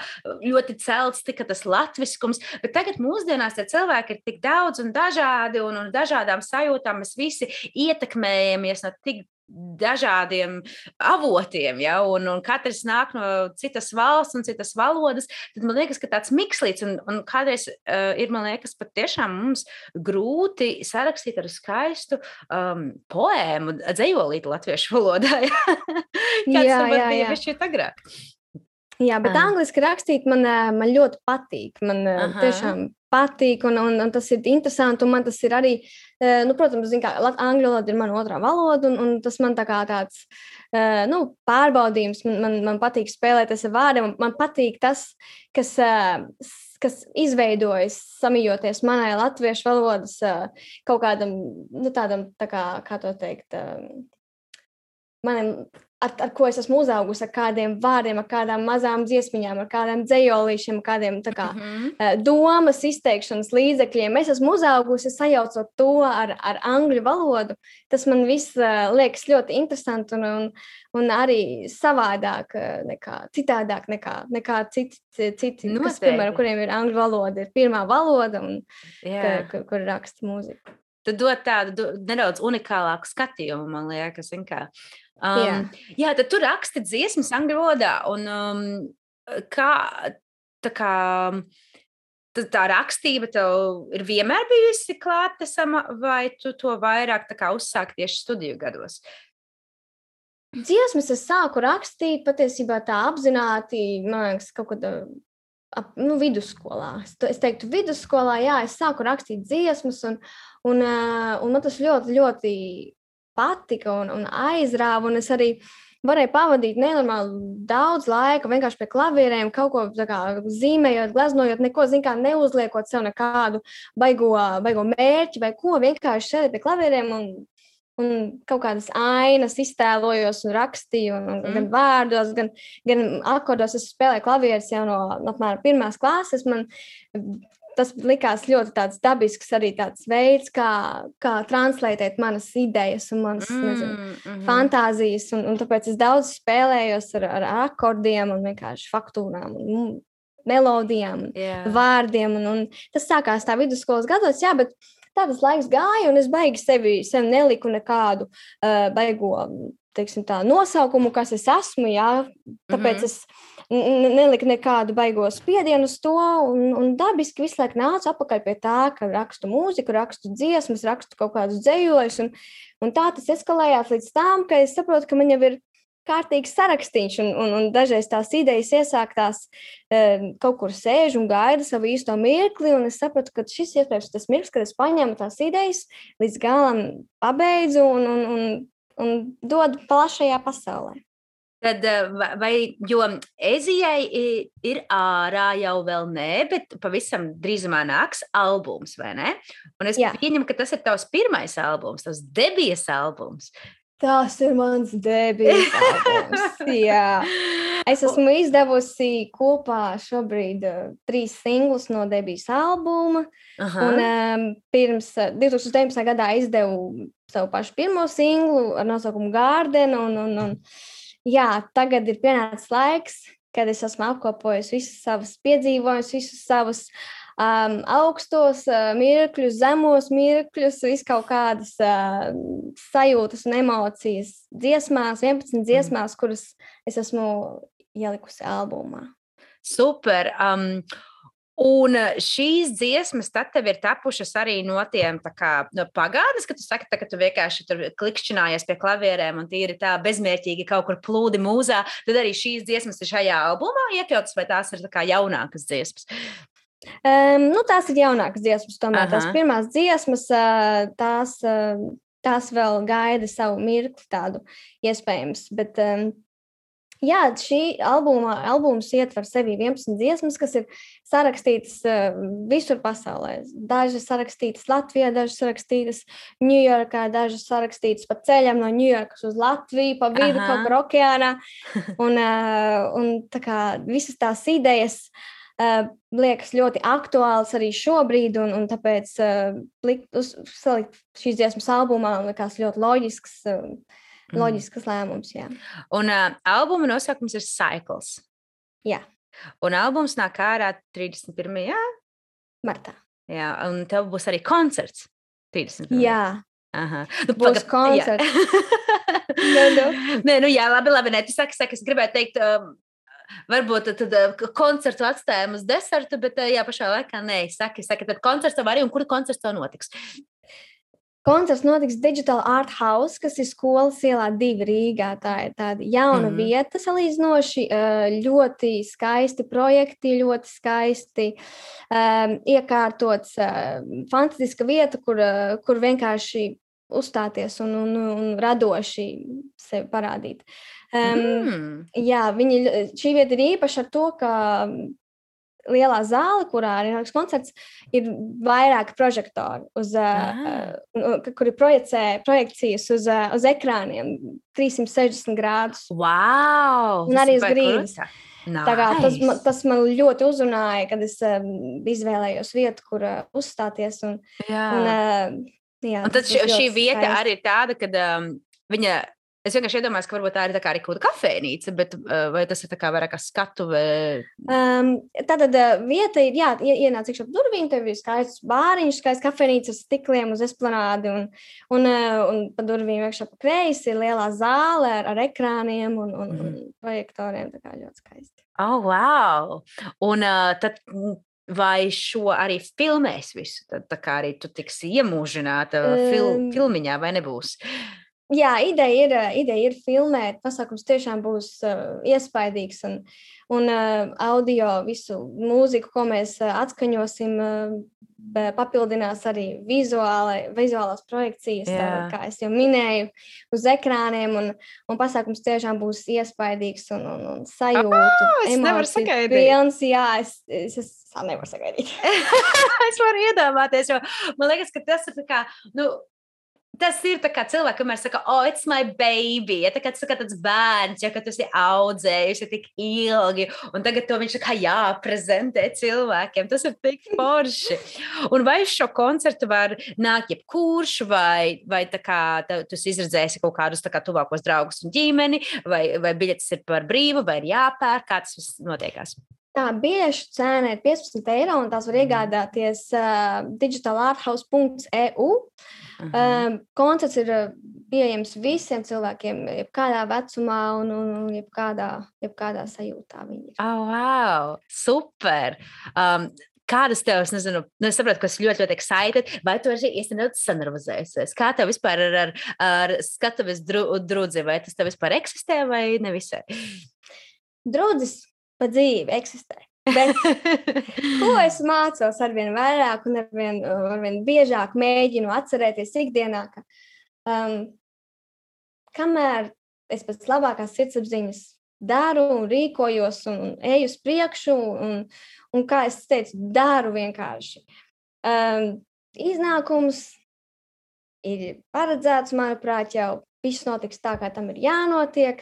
S1: ļoti celts tika tas latviskums, bet tagad mūsdienās tie cilvēki ir tik daudz un dažādi un dažādām sajūtām mēs visi ietekmējamies no tik dažādiem avotiem, ja, un katrs nāk no citas valsts un citas valodas, tad man liekas, ka tāds mikslīts, un kādreiz ir, man liekas, pat tiešām mums grūti sarakstīt ar skaistu poēmu, dzejolīti latviešu valodā, ja. Kāds varbūt bija višķīt agrāk.
S2: Jā, bet angliski rakstīt man ļoti patīk. Man tiešām patīk, un tas ir interesanti, un man tas ir arī, protams, angļu valoda ir mana otrā valoda, un tas man tā kā tāds, pārbaudījums, man patīk spēlēties ar vārdiem, man patīk tas, kas izveidojas, samijoties manai latviešu valodas kaut kādam, tādam, tā kā to teikt, manam, ar ko es esmu uzaugusi, ar kādiem vārdiem, ar kādām mazām dziesmiņām, ar kādiem dzejolīšiem, kādiem tā kā domas izteikšanas līdzekļiem. Es esmu uzaugusi, sajaucot to ar angļu valodu. Tas man viss liekas ļoti interesanti un arī savādāk citādāk nekā citi kas, piemēram, kuriem ir angļu valoda, ir pirmā valoda, un kur raksta mūziku.
S1: Tu dod tādu nedaudz unikālāku skatījumu, man liekas, kā. Jā, tad tu raksti dziesmas angļu valodā, un kā, tā kā, tā rakstība tev ir vienmēr bijusi klātesama, vai tu to vairāk tā kā uzsāki tieši studiju gados?
S2: Dziesmas es sāku rakstīt patiesībā tā apzināti, man liekas, kaut kad vidusskolā. Es teiktu, vidusskolā, jā, es sāku rakstīt dziesmas, un man tas ļoti, ļoti patika un aizrāva, un es arī varēju pavadīt nenormāli daudz laika vienkārši pie klavierēm, kaut ko tā kā zīmējot, gleznojot, neko, neuzliekot sev nekādu baigo mērķi vai ko, vienkārši sēdēju pie klavierēm un kaut kādas ainas iztēlojos un rakstīju, gan vārdos, gan akordos. Es spēlēju klavierus jau no apmēram 1. klases. Man tas likās ļoti tāds dabisks arī tāds veids, kā translētēt manas idejas un manas fantāzijas. Un tāpēc es daudz spēlējos ar akordiem un vienkārši faktūrām un melodijām, vārdiem. Un tas sākās tā vidusskolas gados, jā, bet tā tas laiks gāja, un es baigi sevi neliku nekādu baigo, teiksim tā, nosaukumu, kas es esmu, jā. Tāpēc es neliku nekādu baigo spiedienu uz to, un dabiski visu laiku nācu atpakaļ pie tā, ka rakstu mūziku, rakstu dziesmas, rakstu kaut kādus dzejojus, un tā tas eskalējās līdz tām, ka es saprotu, ka man jau ir kārtīgs sarakstīns, un dažreiz tās idejas iesāktās kaut kur sēž un gaida savu īsto mirkli, un es sapratu, ka šis iespējams tas mirklis, kad es paņemu tās idejas, līdz galam pabeidzu un dodu plašajā pasaulē.
S1: Tad, jo Ezijai ir ārā jau vēl nē, bet pavisam drīzumā nāks albums, vai ne? Un es pieņemu, ka tas ir tavs pirmais albums, tavs debijas albums.
S2: Tas ir mans debijas albums, jā. Es esmu izdevusi kopā šobrīd 3 singlus no debijas albuma, un pirms 2019. gadā izdevu savu pašu pirmo singlu ar nosaukumu Garden, un jā, tagad ir pienācis laiks, kad es esmu apkopojis visas savas piedzīvojumus, visus savus augstos mirkļus, zemos mirkļus, visu kaut kādas sajūtas un emocijas dziesmās, 11 dziesmās, kuras es esmu ielikusi albumā.
S1: Super! Un šīs dziesmas tad tev ir tapušas arī no tiem tā kā no pagātnes, ka tu saki, ka tu vienkārši tur klikšķinājies pie klavierēm un tīri tā bezmērķīgi kaut kur plūdi mūzā, tad arī šīs dziesmas ir šajā albumā iekļautas, vai tās ir tā kā jaunākas dziesmas?
S2: Tās ir jaunākas dziesmas, tomēr tās pirmās dziesmas, tās vēl gaida savu mirkli tādu iespējams, bet jā, šī albums ietver sevi 11 dziesmas, kas ir sarakstītas visur pasaulē. Dažas sarakstītas Latvijā, dažas sarakstītas Ņujorkā, dažas sarakstītas pa ceļam no Ņujorkas uz Latviju, pa vidu kaut kur okeānā, un tā kā visas tās idejas liekas ļoti aktuāls arī šobrīd, un tāpēc salikt šīs dziesmas albumā likās ļoti loģisks lēmums, jā.
S1: Un albuma nosaukums ir Cycles.
S2: Jā.
S1: Un albums nāk ārā 31.
S2: martā.
S1: Jā, un tev būs arī koncerts 31.
S2: Jā.
S1: Aha.
S2: Būs koncerts.
S1: Nē, jā, labi, nē, tu saki, es gribētu teikt, varbūt tad koncertu atstājam uz desertu, bet jā, pašā laikā nē, saki, tad koncerts tev arī, un kur koncerts tev notiks?
S2: Koncerts notiks Digital Art House, kas ir Skolas ielā 2 Rīgā. Tā ir tāda jauna vieta salīdzinoši, ļoti skaisti projekti, ļoti skaisti iekārtots, fantastiska vieta, kur vienkārši uzstāties un radoši sevi parādīt. Jā, šī vieta ir īpaša ar to, ka lielā zāle, kurā ir koncerts, ir vairāki prožektori, kur ir projekcijas uz ekrāniem 360 grādus.
S1: Wow!
S2: Un arī uz grīdas. Tā kā tas man ļoti uzrunāja, kad es izvēlējos vietu, kur uzstāties. Un
S1: tad šī vieta arī ir tāda, kad viņa Es vienkārši iedomājos, ka varbūt tā ir tā kā arī kaut kāda kafejnīca, bet vai tas ir tā kā vairāk kā skatuve?
S2: Tātad vieta ir, jā, ienāc iekšā pa durvīm, tev ir skaists bāriņš, skaists kafejnīca ar stikliem uz esplanādi, un pa durvīm iekšā pa kreisi ir lielā zāle ar ekrāniem un projektoriem, tā kā ļoti skaisti.
S1: Oh, wow! Un tad... Vai šo arī filmēs visu? Tad tā kā arī tu tiksi iemūžināta filmiņā, vai nebūs?
S2: Jā, ideja ir filmēt. Pasākums tiešām būs iespaidīgs un audio visu mūziku, ko mēs atskaņosim, papildinās arī vizuālās projekcijas, kā es jau minēju, uz ekrāniem, un pasākums tiešām būs iespaidīgs un sajūtu, emociju pilns. Jā, es nevaru sagaidīt.
S1: Es varu iedomāties, jo man liekas, ka tas ir tā kā, tas ir tā kā cilvēki, kamēr saka, oh, it's my baby, ja tā kā tas tāds bērns, ja ka tu esi audzējusi tik ilgi, un tagad to viņš tā kā jāprezentē cilvēkiem, tas ir tik forši. Un vai šo koncertu var nākt jebkurš, vai tā kā tu izredzēsi kaut kādus tā kā tuvākos draugus un ģimeni, vai biļetes ir par brīvu, vai ir jāpērk, kā tas viss notiekās?
S2: Tā biļešu cena ir 15 eiro, un tās var iegādāties digitalarthouse.eu. Koncerts ir pieejams visiem cilvēkiem, jebkādā vecumā un jebkādā sajūtā viņi ir.
S1: Oh, wow! Super! Kādas tev, es nezinu, es saprotu, ka esi ļoti, ļoti excited, vai tu esi nedaudz sanervozējusies? Kā tev vispār ar skatuves drudzi, vai tas tev vispār eksistē vai nevisai?
S2: Drudzis pa dzīvi eksistē. Bet ko es mācos arvien vairāk un arvien biežāk mēģinu atcerēties ikdienā, ka kamēr es pēc labākās sirdsapziņas daru un rīkojos un eju uz priekšu un kā es teicu, daru vienkārši. Iznākums ir paredzēts, manuprāt, jau viss notiks tā, kā tam ir jānotiek.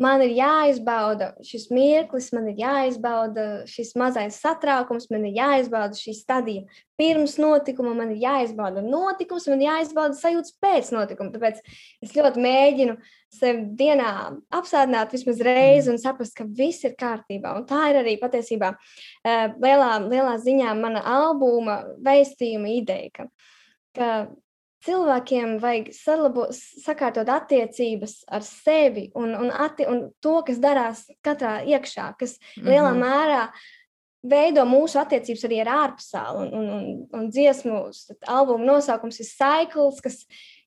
S2: Man ir jāizbauda šis mirklis, man ir jāizbauda šis mazais satraukums, man ir jāizbauda šī stadija pirms notikuma, man ir jāizbauda notikums, man ir jāizbauda sajūtas pēc notikuma. Tāpēc es ļoti mēģinu sevi dienā apsādināt vismaz reizi un saprast, ka viss ir kārtībā. Un tā ir arī patiesībā lielā ziņā mana albuma vēstījuma ideja, ka cilvēkiem vajag sakārtot attiecības ar sevi un to, kas darās katrā iekšā, kas lielā mērā veido mūsu attiecības arī ar ārpasauli. Un dziesmu albuma nosaukums ir Cycles,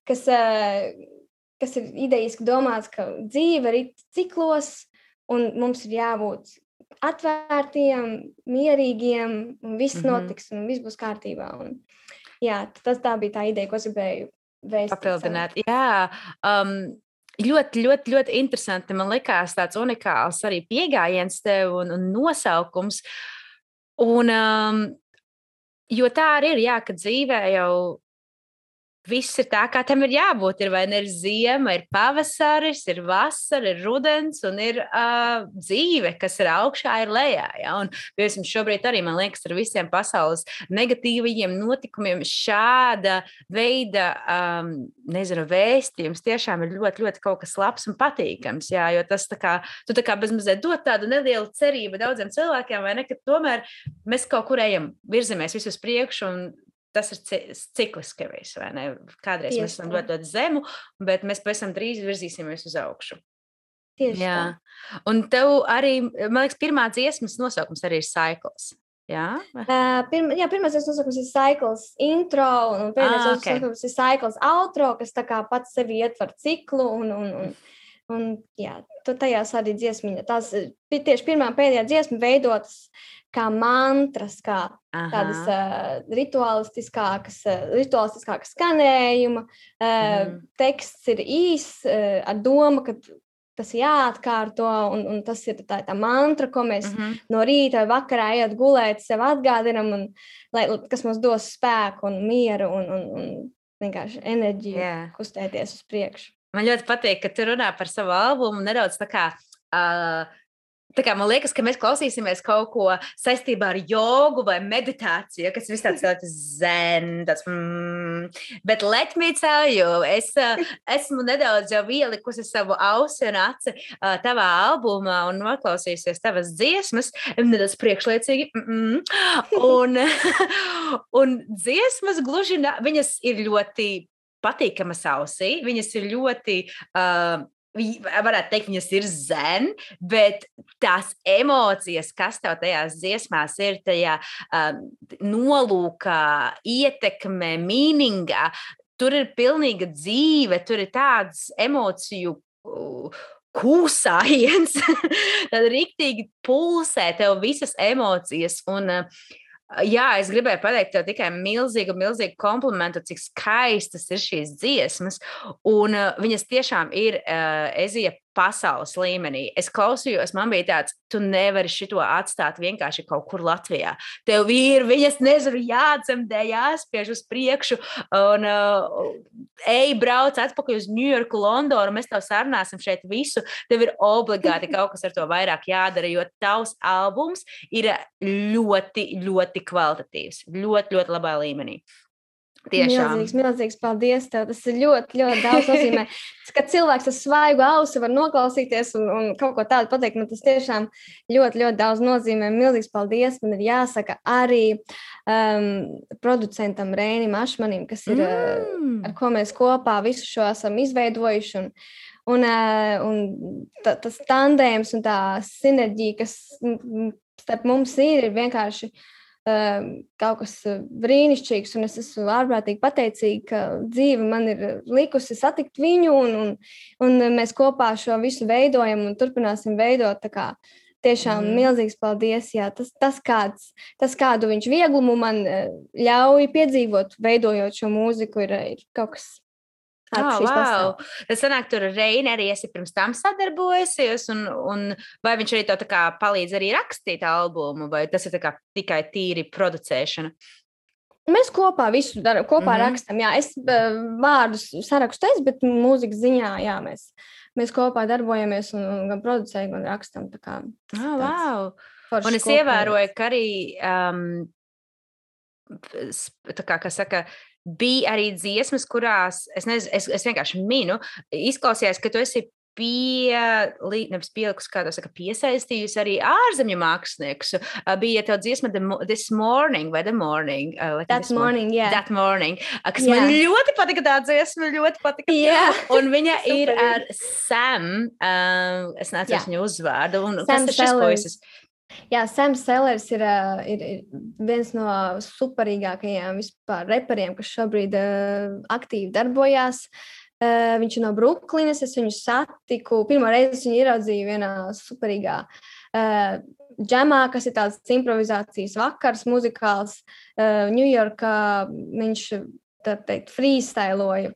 S2: kas ir idejiski domāts, ka dzīve ir ciklos un mums ir jābūt atvērtiem, mierīgiem un viss notiks un viss būs kārtībā. Jā, tā bija tā ideja, ko es gribēju vēstīt.
S1: Papildināt, jā. Ļoti, ļoti, ļoti interesanti. Man likās tāds unikāls arī pieejams tev un nosaukums. Jo tā arī ir, jā, ka dzīvē jau viss ir tā, kā tam ir jābūt. Ir vai ne ir ziema, ir pavasaris, ir vasara, ir rudens un ir dzīve, kas ir augšā, ir lejā. Ja? Un, piemēram, šobrīd arī, man liekas, ar visiem pasaules negatīvajiem notikumiem šāda veida, vēstījums tiešām ir ļoti, ļoti kaut kas labs un patīkams. Jā? Jo tas tā kā bezmazliet dod tādu nelielu cerību daudziem cilvēkiem, vai ne, ka tomēr mēs kaut kur ejam, virzamies visu uz priekšu un tas ir cikliski viss, vai ne? Kādreiz mēs esam ļoti zemu, bet mēs pavisam drīz virzīsimies uz augšu.
S2: Tieši
S1: jā.
S2: Tā.
S1: Un tev arī, man liekas, pirmā dziesmas nosaukums arī ir Cycles. Jā?
S2: Pirmā dziesmas nosaukums ir Cycles intro, un pēdējais nosaukums ir Cycles outro, kas tā kā pats sevi ietver ciklu, un jā, tajās arī dziesmiņa. Tās tieši pirmā pēdējā dziesma veidotas kā mantras, kā tādas rituālistiskākas skanējuma. Teksts ir īss ar domu, ka tas ir jāatkārto, un tas ir tā mantra, ko mēs no rīta vai vakarā ejot gulēt, sev atgādinam, kas mums dos spēku un mieru un vienkārši enerģiju kustēties uz priekšu.
S1: Man ļoti patīk, ka tu runā par savu albumu nedaudz tā kā Tā kā man liekas, ka mēs klausīsimies kaut ko saistībā ar jogu vai meditāciju, kas viss tāds ļoti zen, tāds, bet let me tell you, es esmu nedaudz jau ielikusi savu ausi un aci tavā albumā un noklausījusies tavas dziesmas, nedaudz priekšliecīgi, un dziesmas gluži, viņas ir ļoti patīkamas ausī, viņas ir ļoti... varētu teikt, viņas ir zen, bet tās emocijas, kas tev tajās dziesmās ir, tajā nolūkā, ietekmē, mīningā, tur ir pilnīga dzīve, tur ir tāds emociju kūsājiens, tad riktīgi pulsē tev visas emocijas un jā, es gribēju pateikt tev tikai milzīgu komplimentu, cik skaistas ir šīs dziesmas, un viņas tiešām ir Ezija pasaules līmenī. Es klausījos, man bija tāds, tu nevari šito atstāt vienkārši kaut kur Latvijā. Tev ir, viņas nezinu, jācemdē, jāspiež uz priekšu, un brauc atpakaļ uz Ņujorku, Londonu, mēs tev sarunāsim šeit visu. Tev ir obligāti kaut kas ar to vairāk jādara, jo tavs albums ir ļoti, ļoti kvalitatīvs, ļoti, ļoti labā līmenī. Tiešām.
S2: Milzīgs paldies tev. Tas ir ļoti, ļoti daudz nozīmē. Kad cilvēks ar svaigu ausi var noklausīties un kaut ko tādu pateikt, man tas tiešām ļoti, ļoti daudz nozīmē. Milzīgs paldies. Man ir jāsaka arī producentam Reinim Ašmanim, kas ir, ar ko mēs kopā visu šo esam izveidojuši. Un tas tandēms un tā sinerģija, kas starp mums ir vienkārši kaut kas brīnišķīgs, un es esmu ārprātīgi pateicīga, ka dzīve man ir likusi satikt viņu, un mēs kopā šo visu veidojam un turpināsim veidot. Tā kā tiešām milzīgs paldies. Jā, tas kādu viņš vieglumu man ļauj piedzīvot, veidojot šo mūziku, ir kaut kas.
S1: Wow. Tas sanāk, tur Reini arī esi pirms tam sadarbojusies, un vai viņš arī tev tā kā palīdz arī rakstīt albumu, vai tas ir tā kā tikai tīri producēšana?
S2: Mēs kopā visu darām, kopā rakstam. Jā, es vārdus sarakstu, bet mūzikas ziņā, jā, mēs kopā darbojamies un gan producējam, gan rakstam. Tā kā,
S1: wow. Un es ievēroju, ka arī tā kā saka, bija arī dziesmas, kurās, es vienkārši minu, izklausījās, ka tu esi piesaistījusi arī ārzemju māksliniekus. Bija tev dziesma This Morning vai The Morning?
S2: That Morning, yeah.
S1: That Morning. Kas man ļoti patika tā dziesma, ļoti patika.
S2: Yeah.
S1: Un viņa ir ar Sam, es neatceros viņu uzvārdu. Un kas ir šis puisis?
S2: Jā, Sam Sellers ir viens no superīgākajiem vispār reperiem, kas šobrīd aktīvi darbojās. Viņš ir no Bruklinas, es viņu satiku. Pirmo reizi viņu ieraudzīju vienā superīgā džemā, kas ir tāds improvizācijas vakars, muzikāls. Ņujorkā viņš freestyloju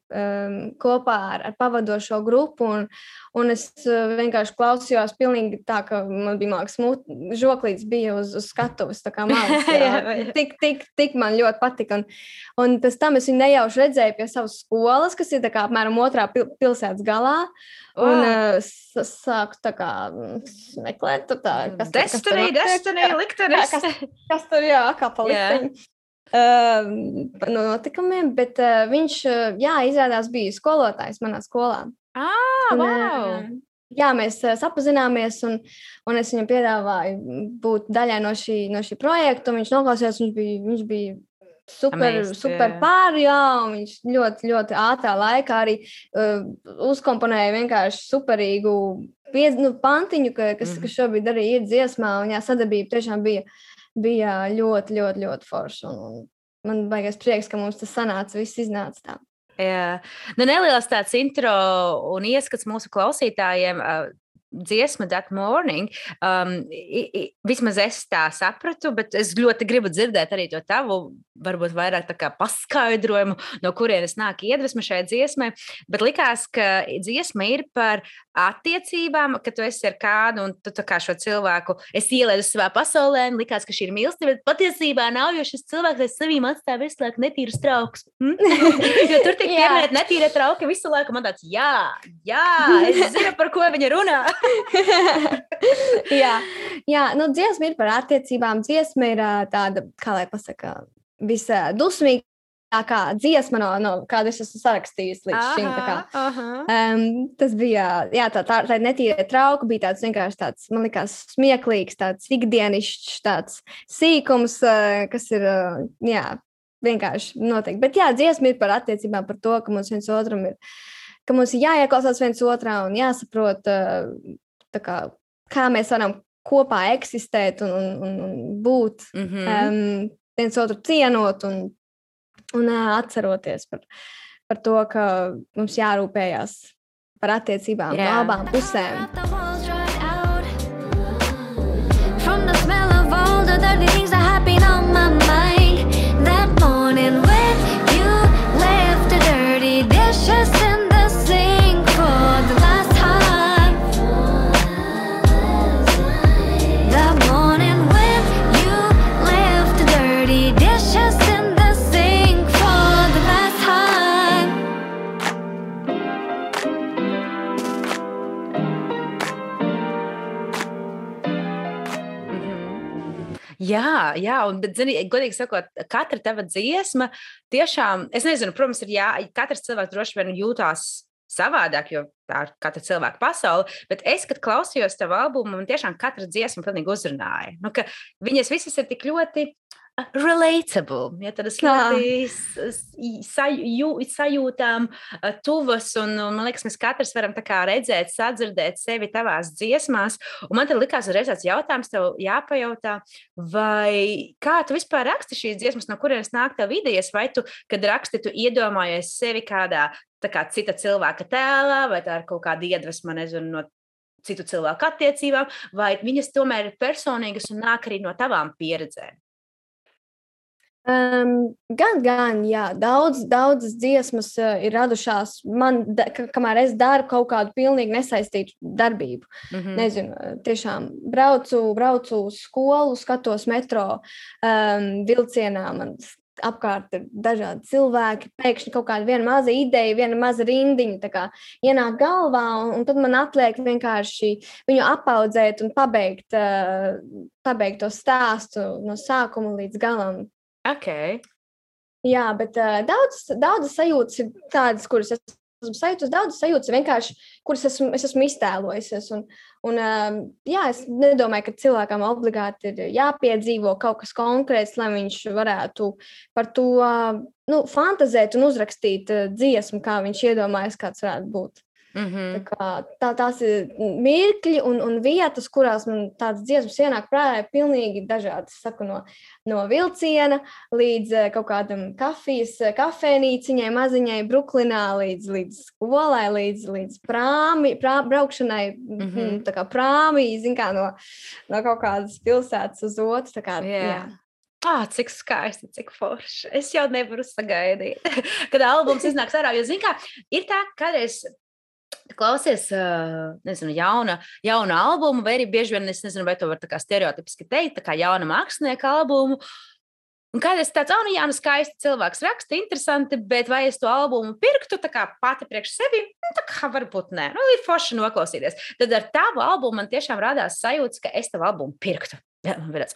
S2: kopā ar pavadošo grupu, un es vienkārši klausījos pilnīgi tā, ka man bija žoklīts bija uz skatuves, tā kā mājas. Tik man ļoti patika. Un pēc tam es viņu nejauši redzēju pie savas skolas, kas ir tā kā apmēram otrā pilsētas galā, un sāku tā kā meklēt,
S1: Destiny, liktenis.
S2: Kas tur, jā, kā pa likteņu. Notikumiem, bet viņš, izrādās bija skolotājs manā skolā.
S1: Wow!
S2: Jā, mēs sapazināmies, un es viņam piedāvāju būt daļai no šī projekta, un viņš noklausījās, viņš bija super pāri, jā, un viņš ļoti, ļoti ātrā laikā arī uzkomponēja vienkārši superīgu pantiņu, kas šobrīd arī ir dziesmā, un sadarbība tiešām bija ļoti, ļoti, ļoti forši. Un man baigās prieks, ka mums tas sanāca, viss iznāca tā.
S1: Jā. Neliels tāds intro un ieskats mūsu klausītājiem. Dziesma That Morning. Vismaz es tā sapratu, bet es ļoti gribu dzirdēt arī to tavu, varbūt vairāk tā kā paskaidrojumu, no kurienes nāk iedvesma šai dziesmai. Bet likās, ka dziesma ir par attiecībām, ka tu esi ar kādu un tu tā kā šo cilvēku esi ielaidusi savā pasaulē, un likās, ka šī ir mīlestība, bet patiesībā nav, jo šis cilvēks aiz sevīm atstāja visu laiku netīrus traukus. Jo tur tiek pieminēt netīrie trauki visu laiku. Man tāds, jā, es zinu, par ko viņa runā.
S2: jā, nu, dziesma ir par attiecībām. Dziesma ir tāda, kā lai pasaka, visdusmīgākā dziesma, no kādu es esmu sarakstījusi līdz šim. Tas bija, tā netīra trauka, bija tāds vienkārši tāds, man likās, smieklīgs, tāds ikdienišķs, tāds sīkums, kas ir, vienkārši noteikti. Bet dziesma ir par attiecībām, par to, ka mums viens otram ir, ka mums ir jāieklausās viens otrā un jāsaprot, kā mēs varam kopā eksistēt un būt, viens otru cienot un atceroties par to, ka mums jārūpējās par attiecībām no abām pusēm. From the smell of all the dirty things that happen on my mind that morning when you left the dirty dishes in the sink for the last time. That morning when you left the dirty dishes in the sink for the last time.
S1: Jā, bet, zini, godīgi sakot, katra tava dziesma tiešām, es nezinu, protams, katrs cilvēks droši vien jūtās savādāk, jo tā ir katra cilvēka pasaule, bet es, kad klausījos tavu albumu, man tiešām katra dziesma pilnīgi uzrunāja. Nu, ka viņas visas ir tik ļoti relatable, tādas ļoti sajūtām tuvas, un man liekas, mēs katrs varam tā kā redzēt, sadzirdēt sevi tavās dziesmās, un man tad likās uzreiz tāds jautājums tev jāpajautā, vai kā tu vispār raksti šīs dziesmas, no kurienes nāk tev idejas, vai tu, kad raksti, tu iedomājies sevi kādā tā kā cita cilvēka tēlā, vai tā ir kaut kāda iedvesma, nezinu, no citu cilvēku attiecībām, vai viņas tomēr ir personīgas un nāk arī no tavām pieredzēm?
S2: Gan, jā, daudzas dziesmas ir radušās man, kamēr es daru kaut kādu pilnīgi nesaistītu darbību. Nezinu, tiešām braucu uz skolu, skatos metro vilcienā, man apkārt ir dažādi cilvēki, pēkšņi kaut kāda viena maza ideja, viena maza rindiņa tā kā ienāk galvā, un tad man atliek vienkārši viņu apaudzēt un pabeigt to stāstu no sākuma līdz galam.
S1: Okay.
S2: Jā, bet daudzas sajūtas ir tādas, kuras esmu sajūtas, daudzas sajūtas vienkārši, kuras es esmu iztēlojusies. Es nedomāju, ka cilvēkam obligāti ir jāpiedzīvo kaut kas konkrēts, lai viņš varētu par to fantazēt un uzrakstīt dziesmu, kā viņš iedomājas, kāds varētu būt. Tās ir mirkļi un vietas, kurās man tādas dziesmas ienāk prātā pilnīgi dažādas. Saku, no vilciena līdz kaut kādam kafejnīciņai maziņai Bruklinā, līdz skolai, līdz braukšanai, tā kā prāmī, zin kā, no kaut kādas pilsētas uz otru. Jā.
S1: Cik skaisti, cik forši. Es jau nevaru sagaidīt, kad albums iznāks ārā, jo, zin kā, ir tā, kādreiz klausies, nezinu, jauna albumu, vai arī bieži vien, es nezinu, vai to var tā kā stereotipiski teikt, tā kā jauna mākslinieka albumu. Un kādreiz tāds, skaisti cilvēks raksta, interesanti, bet vai es to albumu pirktu, tā kā pati priekš sevi, tā kā varbūt nē, ir forši noklausīties. Tad ar tavu albumu man tiešām rādās sajūtas, ka es tavu albumu pirktu. Man bija tāds,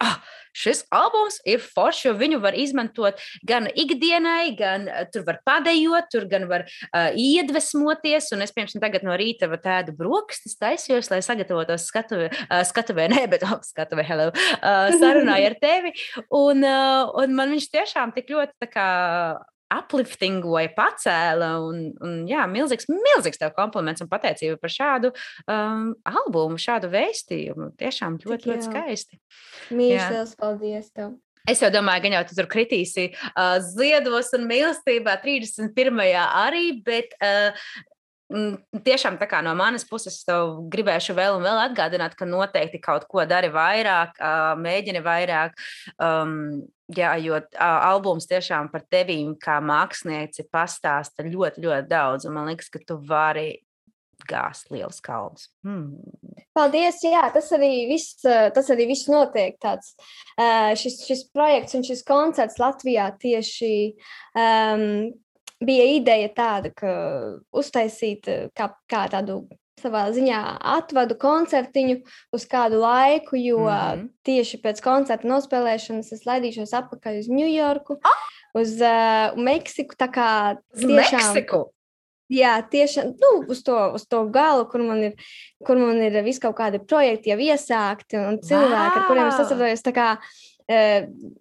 S1: šis albums ir foršs, jo viņu var izmantot gan ikdienai, gan tur var padejot, tur gan var iedvesmoties, un es, piemēram, tagad no rīta tādu brokastis taisījos, lai sagatavotos skatuvē, hello, sarunāju ar tevi, un man viņš tiešām tik ļoti tā kā upliftingoja, pacēla, un milzīgs tev kompliments un pateicība par šādu albumu, šādu vēstījumu. Tiešām ļoti skaisti.
S2: Mīļš, paldies tev.
S1: Es jau domāju, gan jau tu tur kritīsi ziedos un mīlestībā 31. arī, bet tiešām tā kā no manas puses tev gribēšu vēl un vēl atgādināt, ka noteikti kaut ko dari vairāk, mēģini vairāk, jo albums tiešām par tevīm kā mākslinieci pastāsta ļoti, ļoti daudz, un man liekas, ka tu vari gāzt liels kalns.
S2: Paldies, jā, tas arī viss notiek tāds. Šis projekts un šis koncerts Latvijā tieši bija ideja tāda, ka uztaisīt kā tādu savā ziņā atvadu koncertiņu uz kādu laiku, jo tieši pēc koncerta nospēlēšanas es laidīšos atpakaļ uz Ņujorku, uz Meksiku, tā kā tiešām...
S1: Meksiku?
S2: Jā, tieši uz to galu, kur man ir vis kaut kādi projekti jau iesākti un cilvēki, ar kuriem es sasarojos, tā kā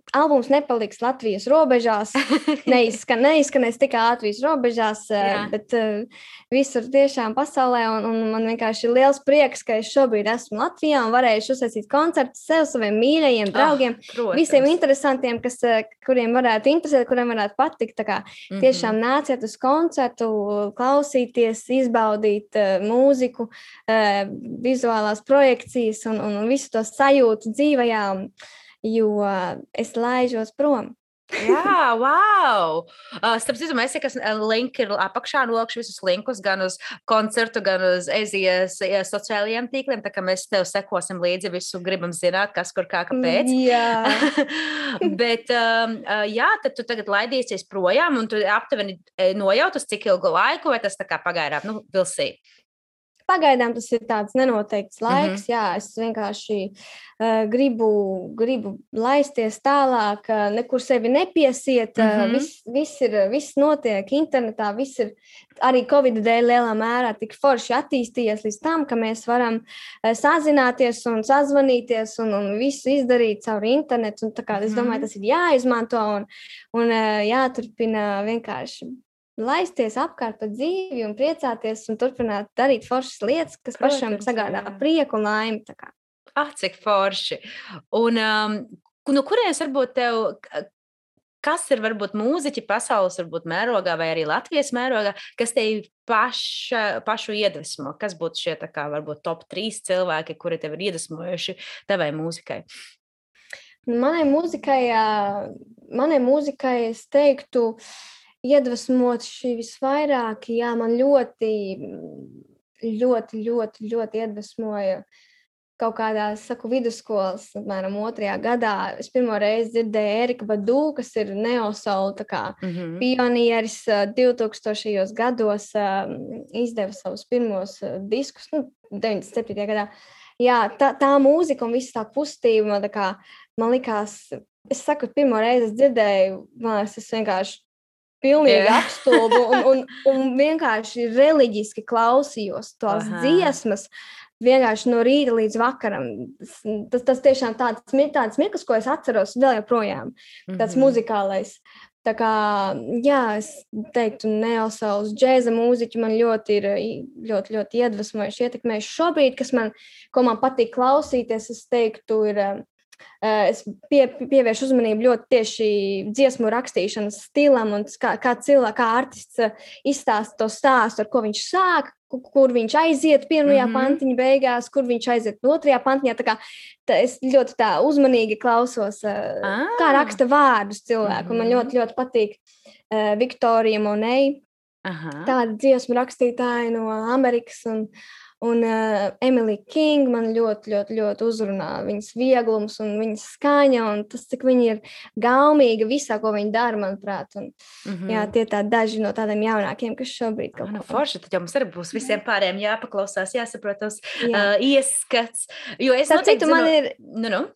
S2: albums nepaliks Latvijas robežās, neizskanēs tikai Latvijas robežās, bet visur tiešām pasaulē, un man vienkārši ir liels prieks, ka es šobrīd esmu Latvijā un varēšu uzsācīt koncertus sev, saviem mīļajiem draugiem, visiem interesantiem, kuriem varētu interesēt, kuriem varētu patikt, tā kā tiešām nāciet uz koncertu, klausīties, izbaudīt mūziku, vizuālās projekcijas un visu to sajūtu dzīvajā, jo es laižos prom.
S1: Jā, wow! Starp citu, mēs link ir apakšā, nolikšu visus linkus gan uz koncertu, gan uz Ezijas sociālajiem tīkliem, tā kā mēs tev sekosim līdzi, visu gribam zināt, kas, kur, kā, kāpēc.
S2: Jā.
S1: Bet, jā, tad tu tagad laidīsies projām, un tu aptuveni nojautus, cik ilgu laiku, vai tas tā kā pagaidām, vilsī?
S2: Pagaidām tas ir tāds nenoteikts laiks, jā, es vienkārši gribu laisties tālāk, nekur sevi nepiesiet, viss notiek internetā, viss ir arī Covid dēļ lielā mērā tik forši attīstījies līdz tam, ka mēs varam sazināties un sazvanīties un visu izdarīt caur internetu, un tā kā es domāju, tas ir jāizmanto un jāturpina vienkārši laisties apkārt pa dzīvi un priecāties un turpināt darīt foršas lietas, kas pašam sagādā prieku un laimi.
S1: Cik forši. Un no kurienes varbūt tev, kas ir varbūt mūziķi pasaules varbūt mērogā vai arī Latvijas mērogā, kas tevi pašu iedvesmo? Kas būtu šie tā kā varbūt top 3 cilvēki, kuri tev ir iedvesmojuši tavai mūzikai?
S2: Manai mūzikai es teiktu, iedvesmot šī visvairāk, jā, man ļoti iedvesmoja kaut kādā, vidusskolas, apmēram 2. gadā. Es pirmo reizi dzirdēju Erika Badu, kas ir neosoul, tā kā pionieris 2000. gados, izdeva savus pirmos diskus, 97. gadā. Jā, tā mūzika un viss tā kustība, man likās, es saku, pirmo reizi es dzirdēju, man liekas, es vienkārši pilnīgi apstulbu un vienkārši reliģiski klausījos tās dziesmas, vienkārši no rīta līdz vakaram. Tas tiešām tāds mirklis, ko es atceros vēl joprojām, tāds muzikālais. Tā kā, jā, es teiktu, neosauls džēza mūziķi man ļoti iedvesmojuši, ietekmējuši šobrīd, ko man patīk klausīties, es teiktu, ir... Es pievēršu uzmanību ļoti tieši dziesmu rakstīšanas stilam un kā artists izstāsta to stāstu, ar ko viņš sāk, kur viņš aiziet pirmajā pantiņa beigās, kur viņš aiziet 2. pantiņā. Tā kā es ļoti tā uzmanīgi klausos, kā raksta vārdus cilvēku. Man ļoti patīk Viktorija Monei, tāda dziesmu rakstītāja no Amerikas un Emily King man ļoti uzrunā viņas vieglums un viņas skaņa un tas, cik viņa ir gaumīga visā, ko viņa dara, manuprāt. Un, jā, tie daži no tādiem jaunākiem, kas šobrīd kaut ko.
S1: Forši, tad jau mums arī būs visiem pārējiem jāpaklausās, jāsaprotos ieskats. Jo es noteikti zinu...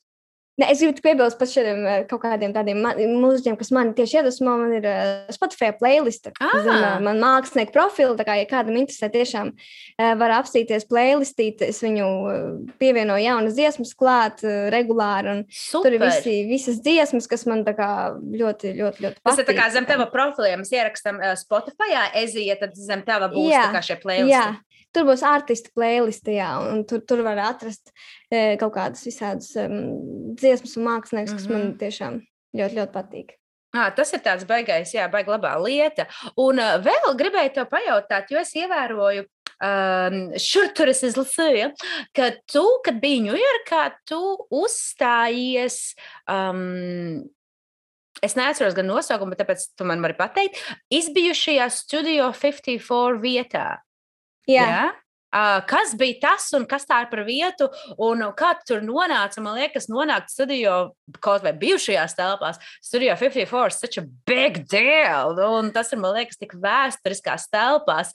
S1: Ne, es gribu piebilst par šiem kaut kādiem tādiem mūziķiem, kas mani tieši iedvesmo. Man ir Spotify playlista, man mākslinieku profili, tā kā, ja kādam interesē, tiešām var apstīties playlistīt, es viņu pievienoju jaunas dziesmas klāt regulāri, un tur ir visas dziesmas, kas man tā kā ļoti patīk. Tas ir tā kā zem tava profiliem, mēs ierakstām Spotifyā, Ezija, tad zem tava būs tā kā šie playlisti.
S2: Jā. Tur būs artistu playlista, jā, un tur var atrast kaut kādas visādas dziesmas un māksliniekus, kas man tiešām ļoti patīk.
S1: Tas ir tāds baigais, jā, baigi labā lieta. Un vēl gribēju tev pajautāt, jo es ievēroju, šur tur es izlasīju, ka tu, kad biji Ņujorkā, tu uzstājies... Es neatceros gan nosaukumu, bet tāpēc tu man vari pateikt, izbijušajā Studio 54 vietā.
S2: Jā.
S1: kas bija tas un kas tā ir par vietu, un kā tu tur nonāca. Man liekas, nonākt studio kaut vai bijušajās telpās. Studio 54 is such a big deal, un tas ir, man liekas, tik vēsturiskās telpās,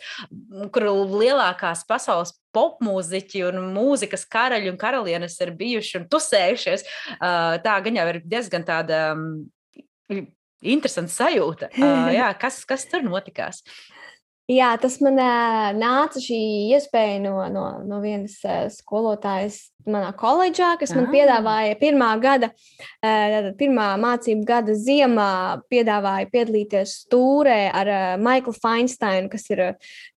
S1: kur lielākās pasaules popmūziķi un mūzikas karaļi un karalienes ir bijuši un tusējušies. Tā gan jau ir diezgan tāda interesanta sajūta. Jā, kas tur notikās?
S2: Jā, tas man nāca šī iespēja no vienas skolotājas manā koledžā, kas man piedāvāja pirmā mācību gada ziemā piedāvāja piedalīties tūrē ar Michaelu Feinsteinu, kas ir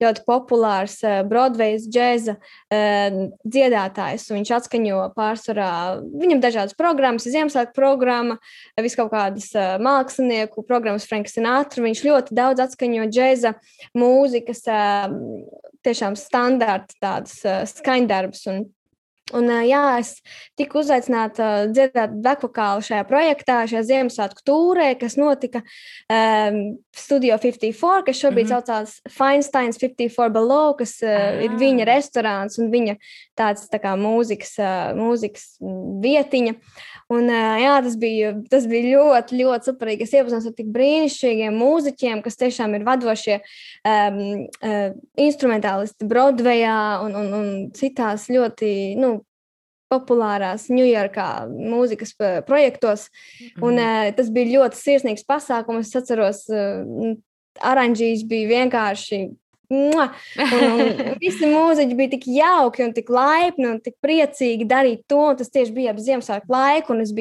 S2: ļoti populārs Broadways džēza dziedātājs. Viņš atskaņo pārsvarā, viņam dažādas programmas, Ziemassvētku programma, vis kaut kādas mākslinieku programmas, Frank Sinatra. Viņš ļoti daudz atskaņo džēza mūzikas, tiešām standarta tādas skaņdarbus. Un jā, es tiku uzaicināta dziedāt bekvokālu šajā projektā, šajā Ziemassvētku tūrē, kas notika Studio 54, kas šobrīd saucās Feinsteins 54 Below, kas ir viņa restorāns un viņa tāds tā kā mūzikas vietiņa. Un jā, tas bija ļoti, ļoti superīgi. Es iepazinos ar tik brīnišķīgiem mūziķiem, kas tiešām ir vadošie instrumentālisti Broadwayā un citās ļoti, populārās Ņujorkā mūzikas projektos. Un tas bija ļoti sirsnīgs pasākums. Es atceros, aranžīs bija vienkārši un visi mūziķi bija tik jauki un tik laipni un tik priecīgi darīt to, un tas tieši bija ap Ziemassvētku laiku, un es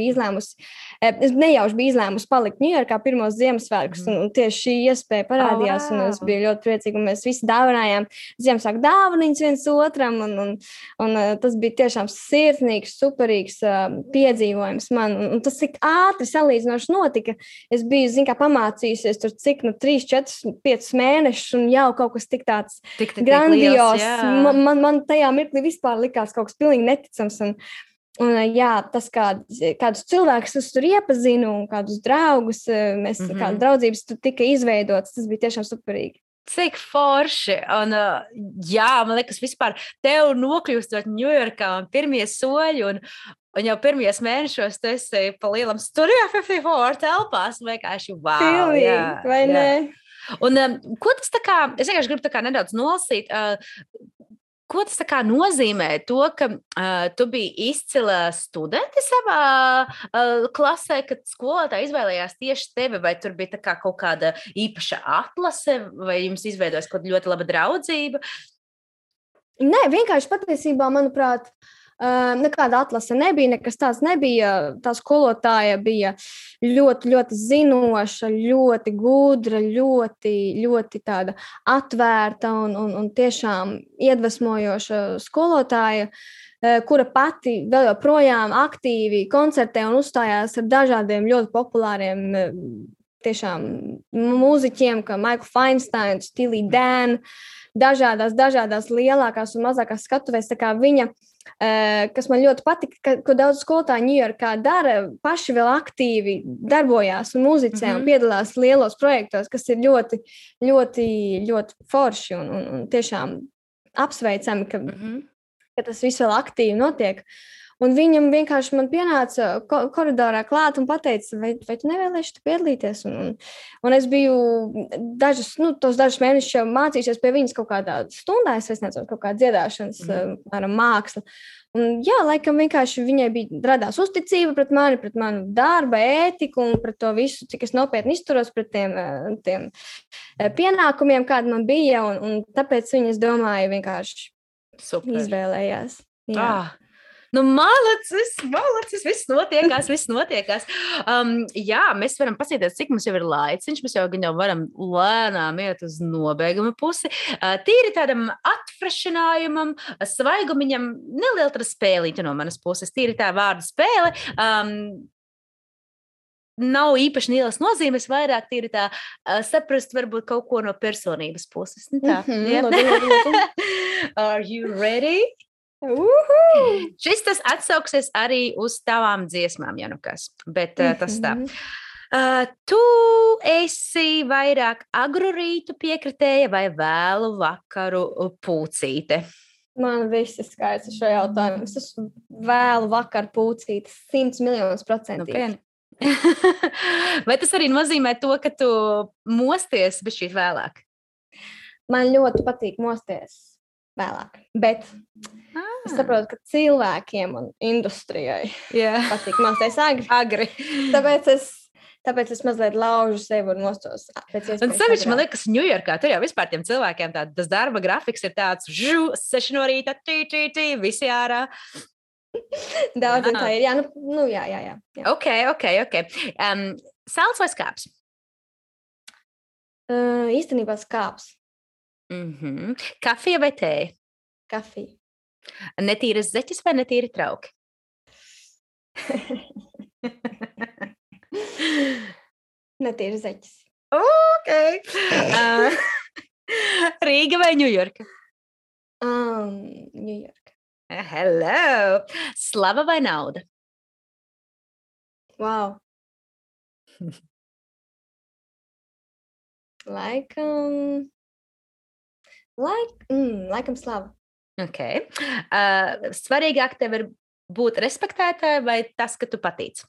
S2: nejauši biju izlēmusi palikt Ņujorkā pirmos Ziemassvētkus, un tieši šī iespēja parādījās, un es biju ļoti priecīga, un mēs visi dāvinājām Ziemassvētku dāvaniņas viens otram, un tas bija tiešām sirsnīgs, superīgs piedzīvojums man, un tas tik ātri salīdzinoši notika. Es biju, pamācījusies tur cik, 3, 4, 5 mēnešus, un jau kaut kas tik tāds grandios. Man tajā mirklī vispār likās kaut kas pilnīgi neticams. Un jā, tas kādus cilvēkus es tur iepazinu un kādus draugus, kādas draudzības tur tika izveidotas, tas bija tiešām superīgi.
S1: Cik forši. Un, jā, man liekas, vispār tev nokļūstot Ņujorkā un pirmie soļi un jau pirmajos mēnešos tu esi pa lielam Studio 54 telpās. Vienkārši wow.
S2: Pilnīgi, jā, vai jā. Ne?
S1: Un ko tas tā kā, es vienkārši gribu nedaudz nolasīt, ko tas tā kā nozīmē to, ka tu biji izcila studenti savā klasē, kad skolotāji izvēlējās tieši tevi, vai tur bija tā kā kaut kāda īpaša atlase, vai jums izveidojas kaut ļoti laba draudzība?
S2: Nē, vienkārši patiesībā, manuprāt, nekāda atlase nebija, nekas tāds nebija. Tā skolotāja bija ļoti, ļoti zinoša, ļoti gudra, ļoti, ļoti tāda atvērta un tiešām iedvesmojoša skolotāja, kura pati vēl joprojām aktīvi koncertē un uzstājās ar dažādiem ļoti populāriem tiešām mūziķiem, kā Michael Feinsteins, Steely Dan, dažādās lielākās un mazākās skatuvēs, tā kā viņa, kas man ļoti patika, ko daudz skolotāji Ņujorkā dara, paši vēl aktīvi darbojās un muzicē un piedalās lielos projektos, kas ir ļoti, ļoti, ļoti forši un tiešām apsveicami, ka tas viss vēl aktīvi notiek. Un viņam vienkārši man pienāca koridorā klāt un pateica, vai tu nevēlēsi tu piedalīties? Un es biju tos dažus mēnešus jau mācījušies pie viņas kaut kādā stundā, es nezinu, kaut kā dziedāšanas, māksla. Un jā, laikam vienkārši viņai radās uzticība pret manu darba ētiku un pret to visu, cik es nopietni izturos pret tiem pienākumiem, kādi man bija, un tāpēc viņa, es domāju, vienkārši izvēlējās. Jā.
S1: Malacis, viss notiekās. Jā, mēs varam paskatīties, cik mums jau ir laiciņš, mēs jau varam lēnām iet uz nobeiguma pusi. Tīri tādam atfrešinājumam, svaigumiņam, neliela tāda spēlīta no manas puses, tīri tā vārda spēle. Nav īpaši lielas nozīmes, vairāk tīri tā saprast varbūt kaut ko no personības puses. Tā, Are you ready? Šis tas atsauksies arī uz tavām dziesmām, ja nu kas, bet tas tā. Tu esi vairāk agru rītu piekritēja vai vēlu vakaru pūcīte?
S2: Man viss ir skaidrs ar šo jautājumu. Es esmu vēlu vakar pūcītas 100 miljonus procentīgi.
S1: Vai tas arī nozīmē to, ka tu mosties bišķīt vēlāk?
S2: Man ļoti patīk mosties vēlāk, bet es saprotu, ka cilvēkiem un industrijai patīk mosties agri. Tāpēc es mazliet laužu sevi un mostos.
S1: Un sevišķi, man liekas, Ņujorkā tur jau vispār tiem cilvēkiem tas darba grafiks ir tāds 6 no rīta, visi ārā.
S2: Daudziem tā ir, jā.
S1: Ok. Salds vai skāps?
S2: Īstenībā skāps.
S1: Kafija vai tēja?
S2: Kafija.
S1: Netīras zeķes vai netīri trauki?
S2: Netīras zeķes.
S1: Ok. Rīga vai Ņujorka?
S2: Ņujorka.
S1: Hello. Slava vai nauda?
S2: Wow. Laikam slava.
S1: Ok. Svarīgāk tev ir būt respektētāji vai tas, ka tu patīc?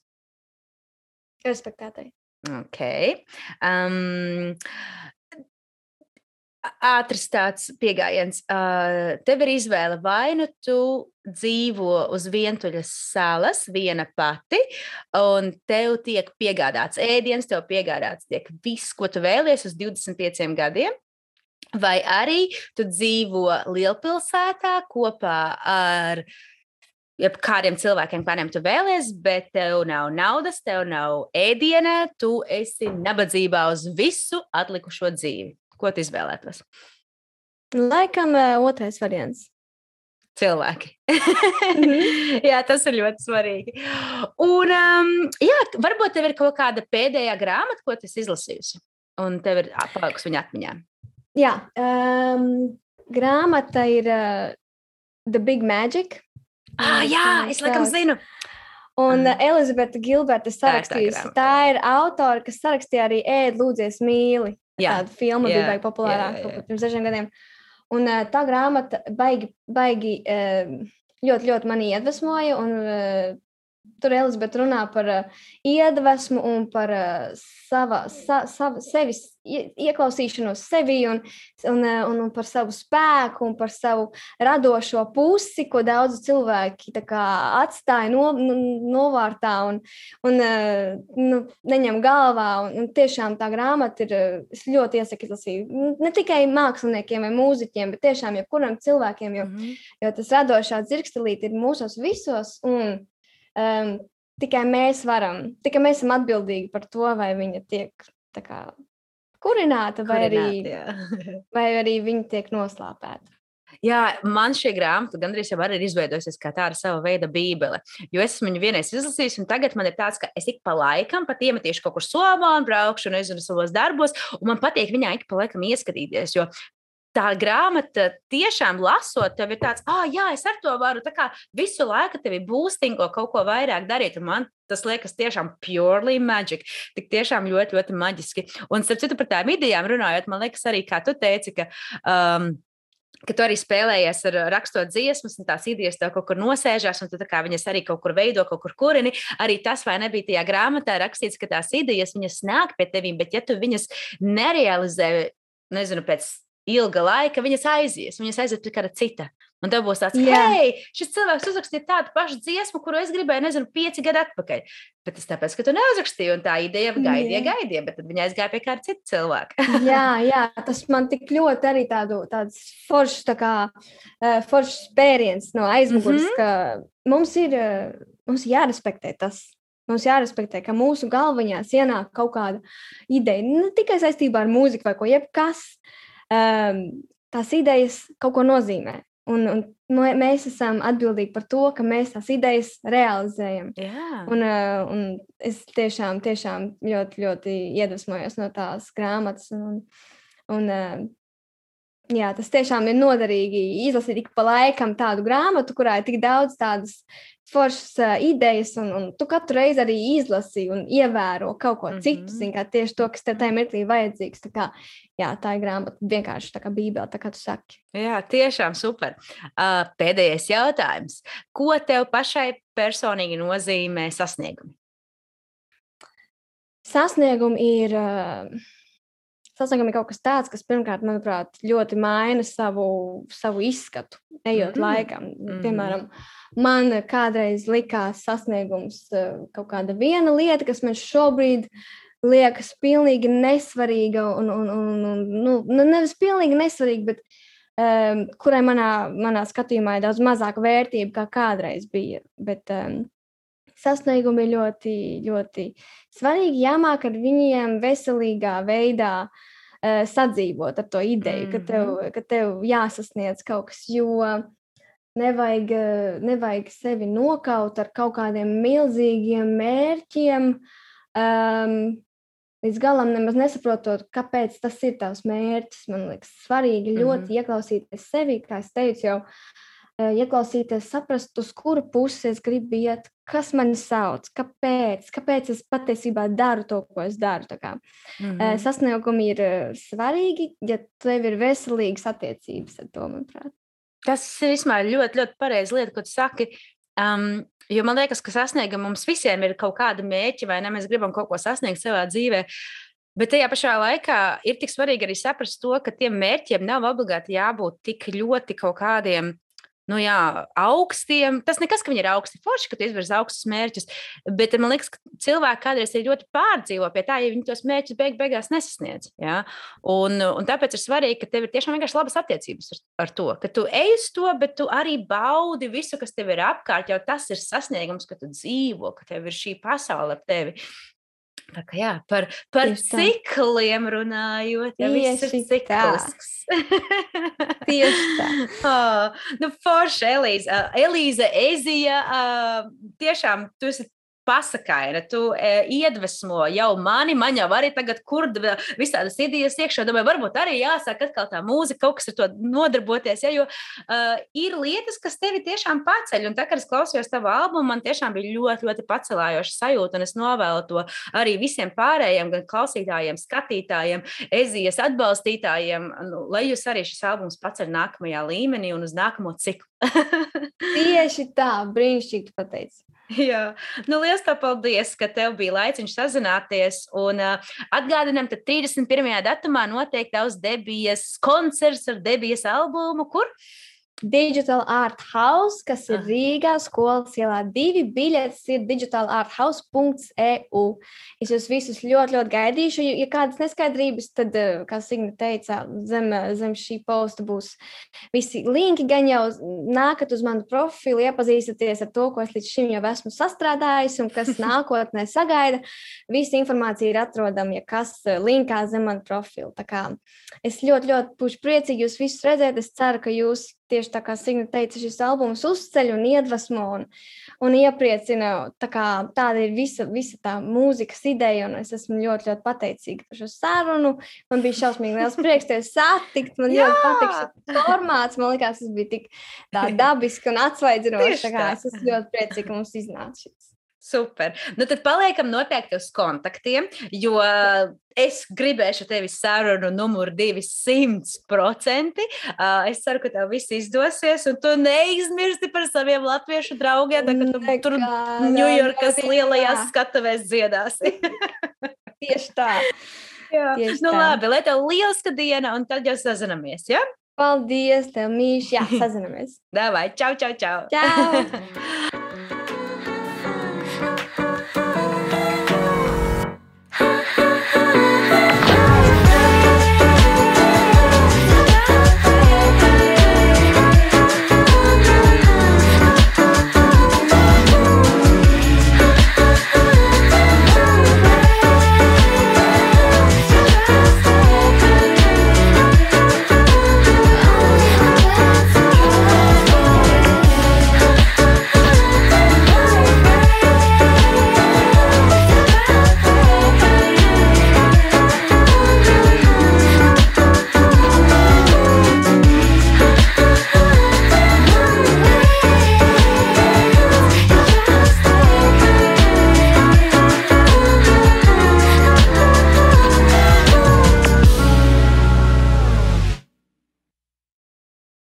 S2: Respektētāji.
S1: Ok. Ātrs tāds piegājiens. Tev ir izvēle, vai nu tu dzīvo uz vientuļas salas, viena pati, un tev tiek piegādāts ēdiens, tev piegādāts tiek viss, ko tu vēlies uz 25 gadiem, vai arī tu dzīvo lielpilsētā kopā ar kādiem cilvēkiem, kādiem tu vēlies, bet tev nav naudas, tev nav ēdiena, tu esi nabadzībā uz visu atlikušo dzīvi. Ko tu izvēlētos?
S2: Laikam otrais variants.
S1: Cilvēki. Jā, tas ir ļoti svarīgi. Un, varbūt tev ir kaut kāda pēdējā grāmata, ko tu esi izlasījusi, un tev ir palikusi viņa atmiņā.
S2: Jā, grāmata ir The Big Magic.
S1: Jā, es laikam zinu.
S2: Un Elizabete Gilberta sarakstījusi. Tā ir autora, kas sarakstīja arī Ēd, lūdzies, mīli. Tāda filma bija baigi populārāka pirms 6 gadiem. Un tā grāmata baigi ļoti, ļoti mani iedvesmoja. Un tur Elizabete runā par iedvesmu un par sevis ieklausīšanos sevi un par savu spēku un par savu radošo pusi, ko daudzi cilvēki atstāja novārtā un neņem galvā. Un tiešām tā grāmata ir, es ļoti iesaku izlasīt, ne tikai māksliniekiem vai mūziķiem, bet tiešām jebkuram cilvēkiem, jo tas radošā dzirkstelīt ir mūsos visos un tikai mēs esam atbildīgi par to, vai viņa tiek kurināta, vai arī viņa tiek noslāpēta.
S1: Jā, man šī grāmata gandrīz jau arī ir izveidojusies kā tāda sava veida bībele, jo es esmu viņu vienreiz izlasījusi, un tagad man ir tāds, ka es ik pa laikam pat iemetīšu kaut kur somā un braukšu, nezinu, savos darbos, un man patīk viņā ik pa laikam ieskatīties, jo tā grāmata tiešām lasot, tev ir tāds, jā, es ar to varu visu laiku tevi boostingo kaut ko vairāk darīt, un man tas liekas tiešām purely magic, tik tiešām ļoti, ļoti maģiski. Un starp citu par tām idejām runājot, man liekas arī, kā tu teici, ka tu arī spēlējies ar rakstot dziesmas, un tās idejas tev kaut kur nosēžās, un tu viņas arī kaut kur veido, kaut kur kurini. Arī tas, vai nebija tajā grāmatā rakstīts, ka tās idejas, viņas nāk pie tevīm, bet ja tu viņas nerealizē, nezinu, pēc ilga laika, viņas aizies pie kāda cita. Un tev būs tāds, hei, šis cilvēks uzrakstīja tādu pašu dziesmu, kuru es gribēju, nezinu, 5 gadu atpakaļ. Bet tas tāpēc, ka tu neuzrakstīji, un tā ideja gaidīja, bet tad viņa aizgāja pie kāda cita cilvēka.
S2: jā, tas man tik ļoti arī tāds foršs spēriens no aizmugures, ka mums ir jārespektē tas. Mums jārespektē, ka mūsu galvaņās ienāk kaut kāda ideja, ne tikai saistībā ar mūziku vai ko jebkas. Tās idejas kaut ko nozīmē. Un mēs esam atbildīgi par to, ka mēs tās idejas realizējam. Un es tiešām ļoti, ļoti iedvesmojos no tās grāmatas. Un Jā, tas tiešām ir noderīgi izlasīt ik pa laikam tādu grāmatu, kurā ir tik daudz tādas foršas idejas, un tu katru reizi arī izlasi un ievēro kaut ko citu, kā tieši to, kas tev tajā mirklī vajadzīgs. Tā kā, jā, tā ir grāmata vienkārši tā kā bībele, tā kā tu saki.
S1: Jā, tiešām super. Pēdējais jautājums. Ko tev pašai personīgi nozīmē sasniegumi?
S2: Sasniegumi ir kaut kas tāds, kas pirmkārt, manuprāt, ļoti maina savu izskatu, ejot laikam. Piemēram, man kādreiz likās sasniegums kaut kāda viena lieta, kas man šobrīd liekas pilnīgi nesvarīga, nevis pilnīgi nesvarīga, bet kurai manā skatījumā ir daudz mazāka vērtība, kā kādreiz bija. Bet sasniegumi ir ļoti, ļoti svarīgi, jāmāk ar viņiem veselīgā veidā sadzīvot ar to ideju, ka tev jāsasniedz kaut kas, jo nevajag sevi nokaut ar kaut kādiem milzīgiem mērķiem, līdz galam nemaz nesaprotot, kāpēc tas ir tavs mērķis. Man liekas svarīgi ļoti ieklausīties sevi, kā es teicu jau, ieklausīties, saprast, uz kuru pusi es gribu iet, kas mani sauc, kāpēc es patiesībā daru to, ko es daru. Tā kā, sasniegumi ir svarīgi, ja tev ir veselīgas attiecības ar to, manuprāt.
S1: Tas vispār ļoti, ļoti pareizi lieta, ko tu saki, jo man liekas, ka sasniegumi mums visiem ir kaut kāda mērķa, vai ne, mēs gribam kaut ko sasniegt savā dzīvē. Bet tajā pašā laikā ir tik svarīgi arī saprast to, ka tiem mērķiem nav obligāti jābūt tik ļoti kaut kādiem augstiem. Tas nekas, ka viņi ir augsti forši, ka tu izvirzi augstus mērķus, bet man liekas, ka cilvēki kādreiz ir ļoti pārdzīvo pie tā, ja viņi tos mērķus beigās nesasniedz. Ja? Un tāpēc ir svarīgi, ka tev ir tiešām vienkārši labas attiecības ar to, ka tu ej uz to, bet tu arī baudi visu, kas tev ir apkārt, jo tas ir sasniegums, ka tu dzīvo, ka tev ir šī pasaule ap tevi. Tā kā jā, par cikliem runājot, ja viss ir ciklisks.
S2: Tieši tā.
S1: Forši, Elīze, Ezija, tiešām tu esi pasakaina, tu iedvesmo jau mani, man jau arī tagad kurda visādas idejas iekšā, domāju, varbūt arī jāsāk atkal tā mūzika, kaut kas ar to nodarboties, ja, jo ir lietas, kas tevi tiešām paceļ, un tā, kad es klausījos tavu albumu, man tiešām bija ļoti, ļoti pacelājoša sajūta, un es novēlu to arī visiem pārējiem, gan klausītājiem, skatītājiem, Ezijas atbalstītājiem, lai jūs arī šis albums paceļ nākamajā līmenī un uz nākamo ciklu.
S2: Tieši tā, brīnišķīgi tu pateici.
S1: Jā, liels tev paldies, ka tev bija laiciņš sazināties, un atgādinām, tad 31. datumā notiek tavs debijas koncerts ar debijas albumu, kur?
S2: Digital Art House, kas ir Rīgā, Skolas ielā 2, biļetes ir digitalarthouse.eu. Es jūs visus ļoti, ļoti gaidīšu. Ja kādas neskaidrības, tad, kā Signe teica, zem šī posta būs visi linki, gan jau nākat uz manu profilu, iepazīstaties ar to, ko es līdz šim jau esmu sastrādājis un kas nākotnē sagaida. Visa informācija ir atrodama, ja kas linkā zem manu profilu. Tā kā es ļoti, ļoti būšu priecīgi jūs visus redzēt. Es ceru, ka jūs tieši tā kā Signe teica, šis albums uzceļ un iedvesmo un iepriecina. Tāda ir visa tā mūzikas ideja, un es esmu ļoti, ļoti pateicīga par šo sarunu. Man bija šausmīgi liels prieks tevi satikt. Man ļoti patīk šis formāts. Man likās, tas bija tik tā dabiski un atsvaidzinoši. Es esmu ļoti priecīga, ka mums iznāca šis.
S1: Super. Tad paliekam noteikti uz kontaktiem, jo es gribēšu tevi sarunu numuru 200%. Es ceru, ka tev viss izdosies, un tu neizmirsti par saviem latviešu draugiem, kad tu tur Ņujorkas lielajās skatuvēs dziedāsi.
S2: Tieši tā.
S1: Jā. Labi, lai tev lieliska diena, un tad jau sazinamies, ja?
S2: Paldies, tev mīļš. Jā, sazinamies.
S1: Davai, čau, čau, čau.
S2: Čau.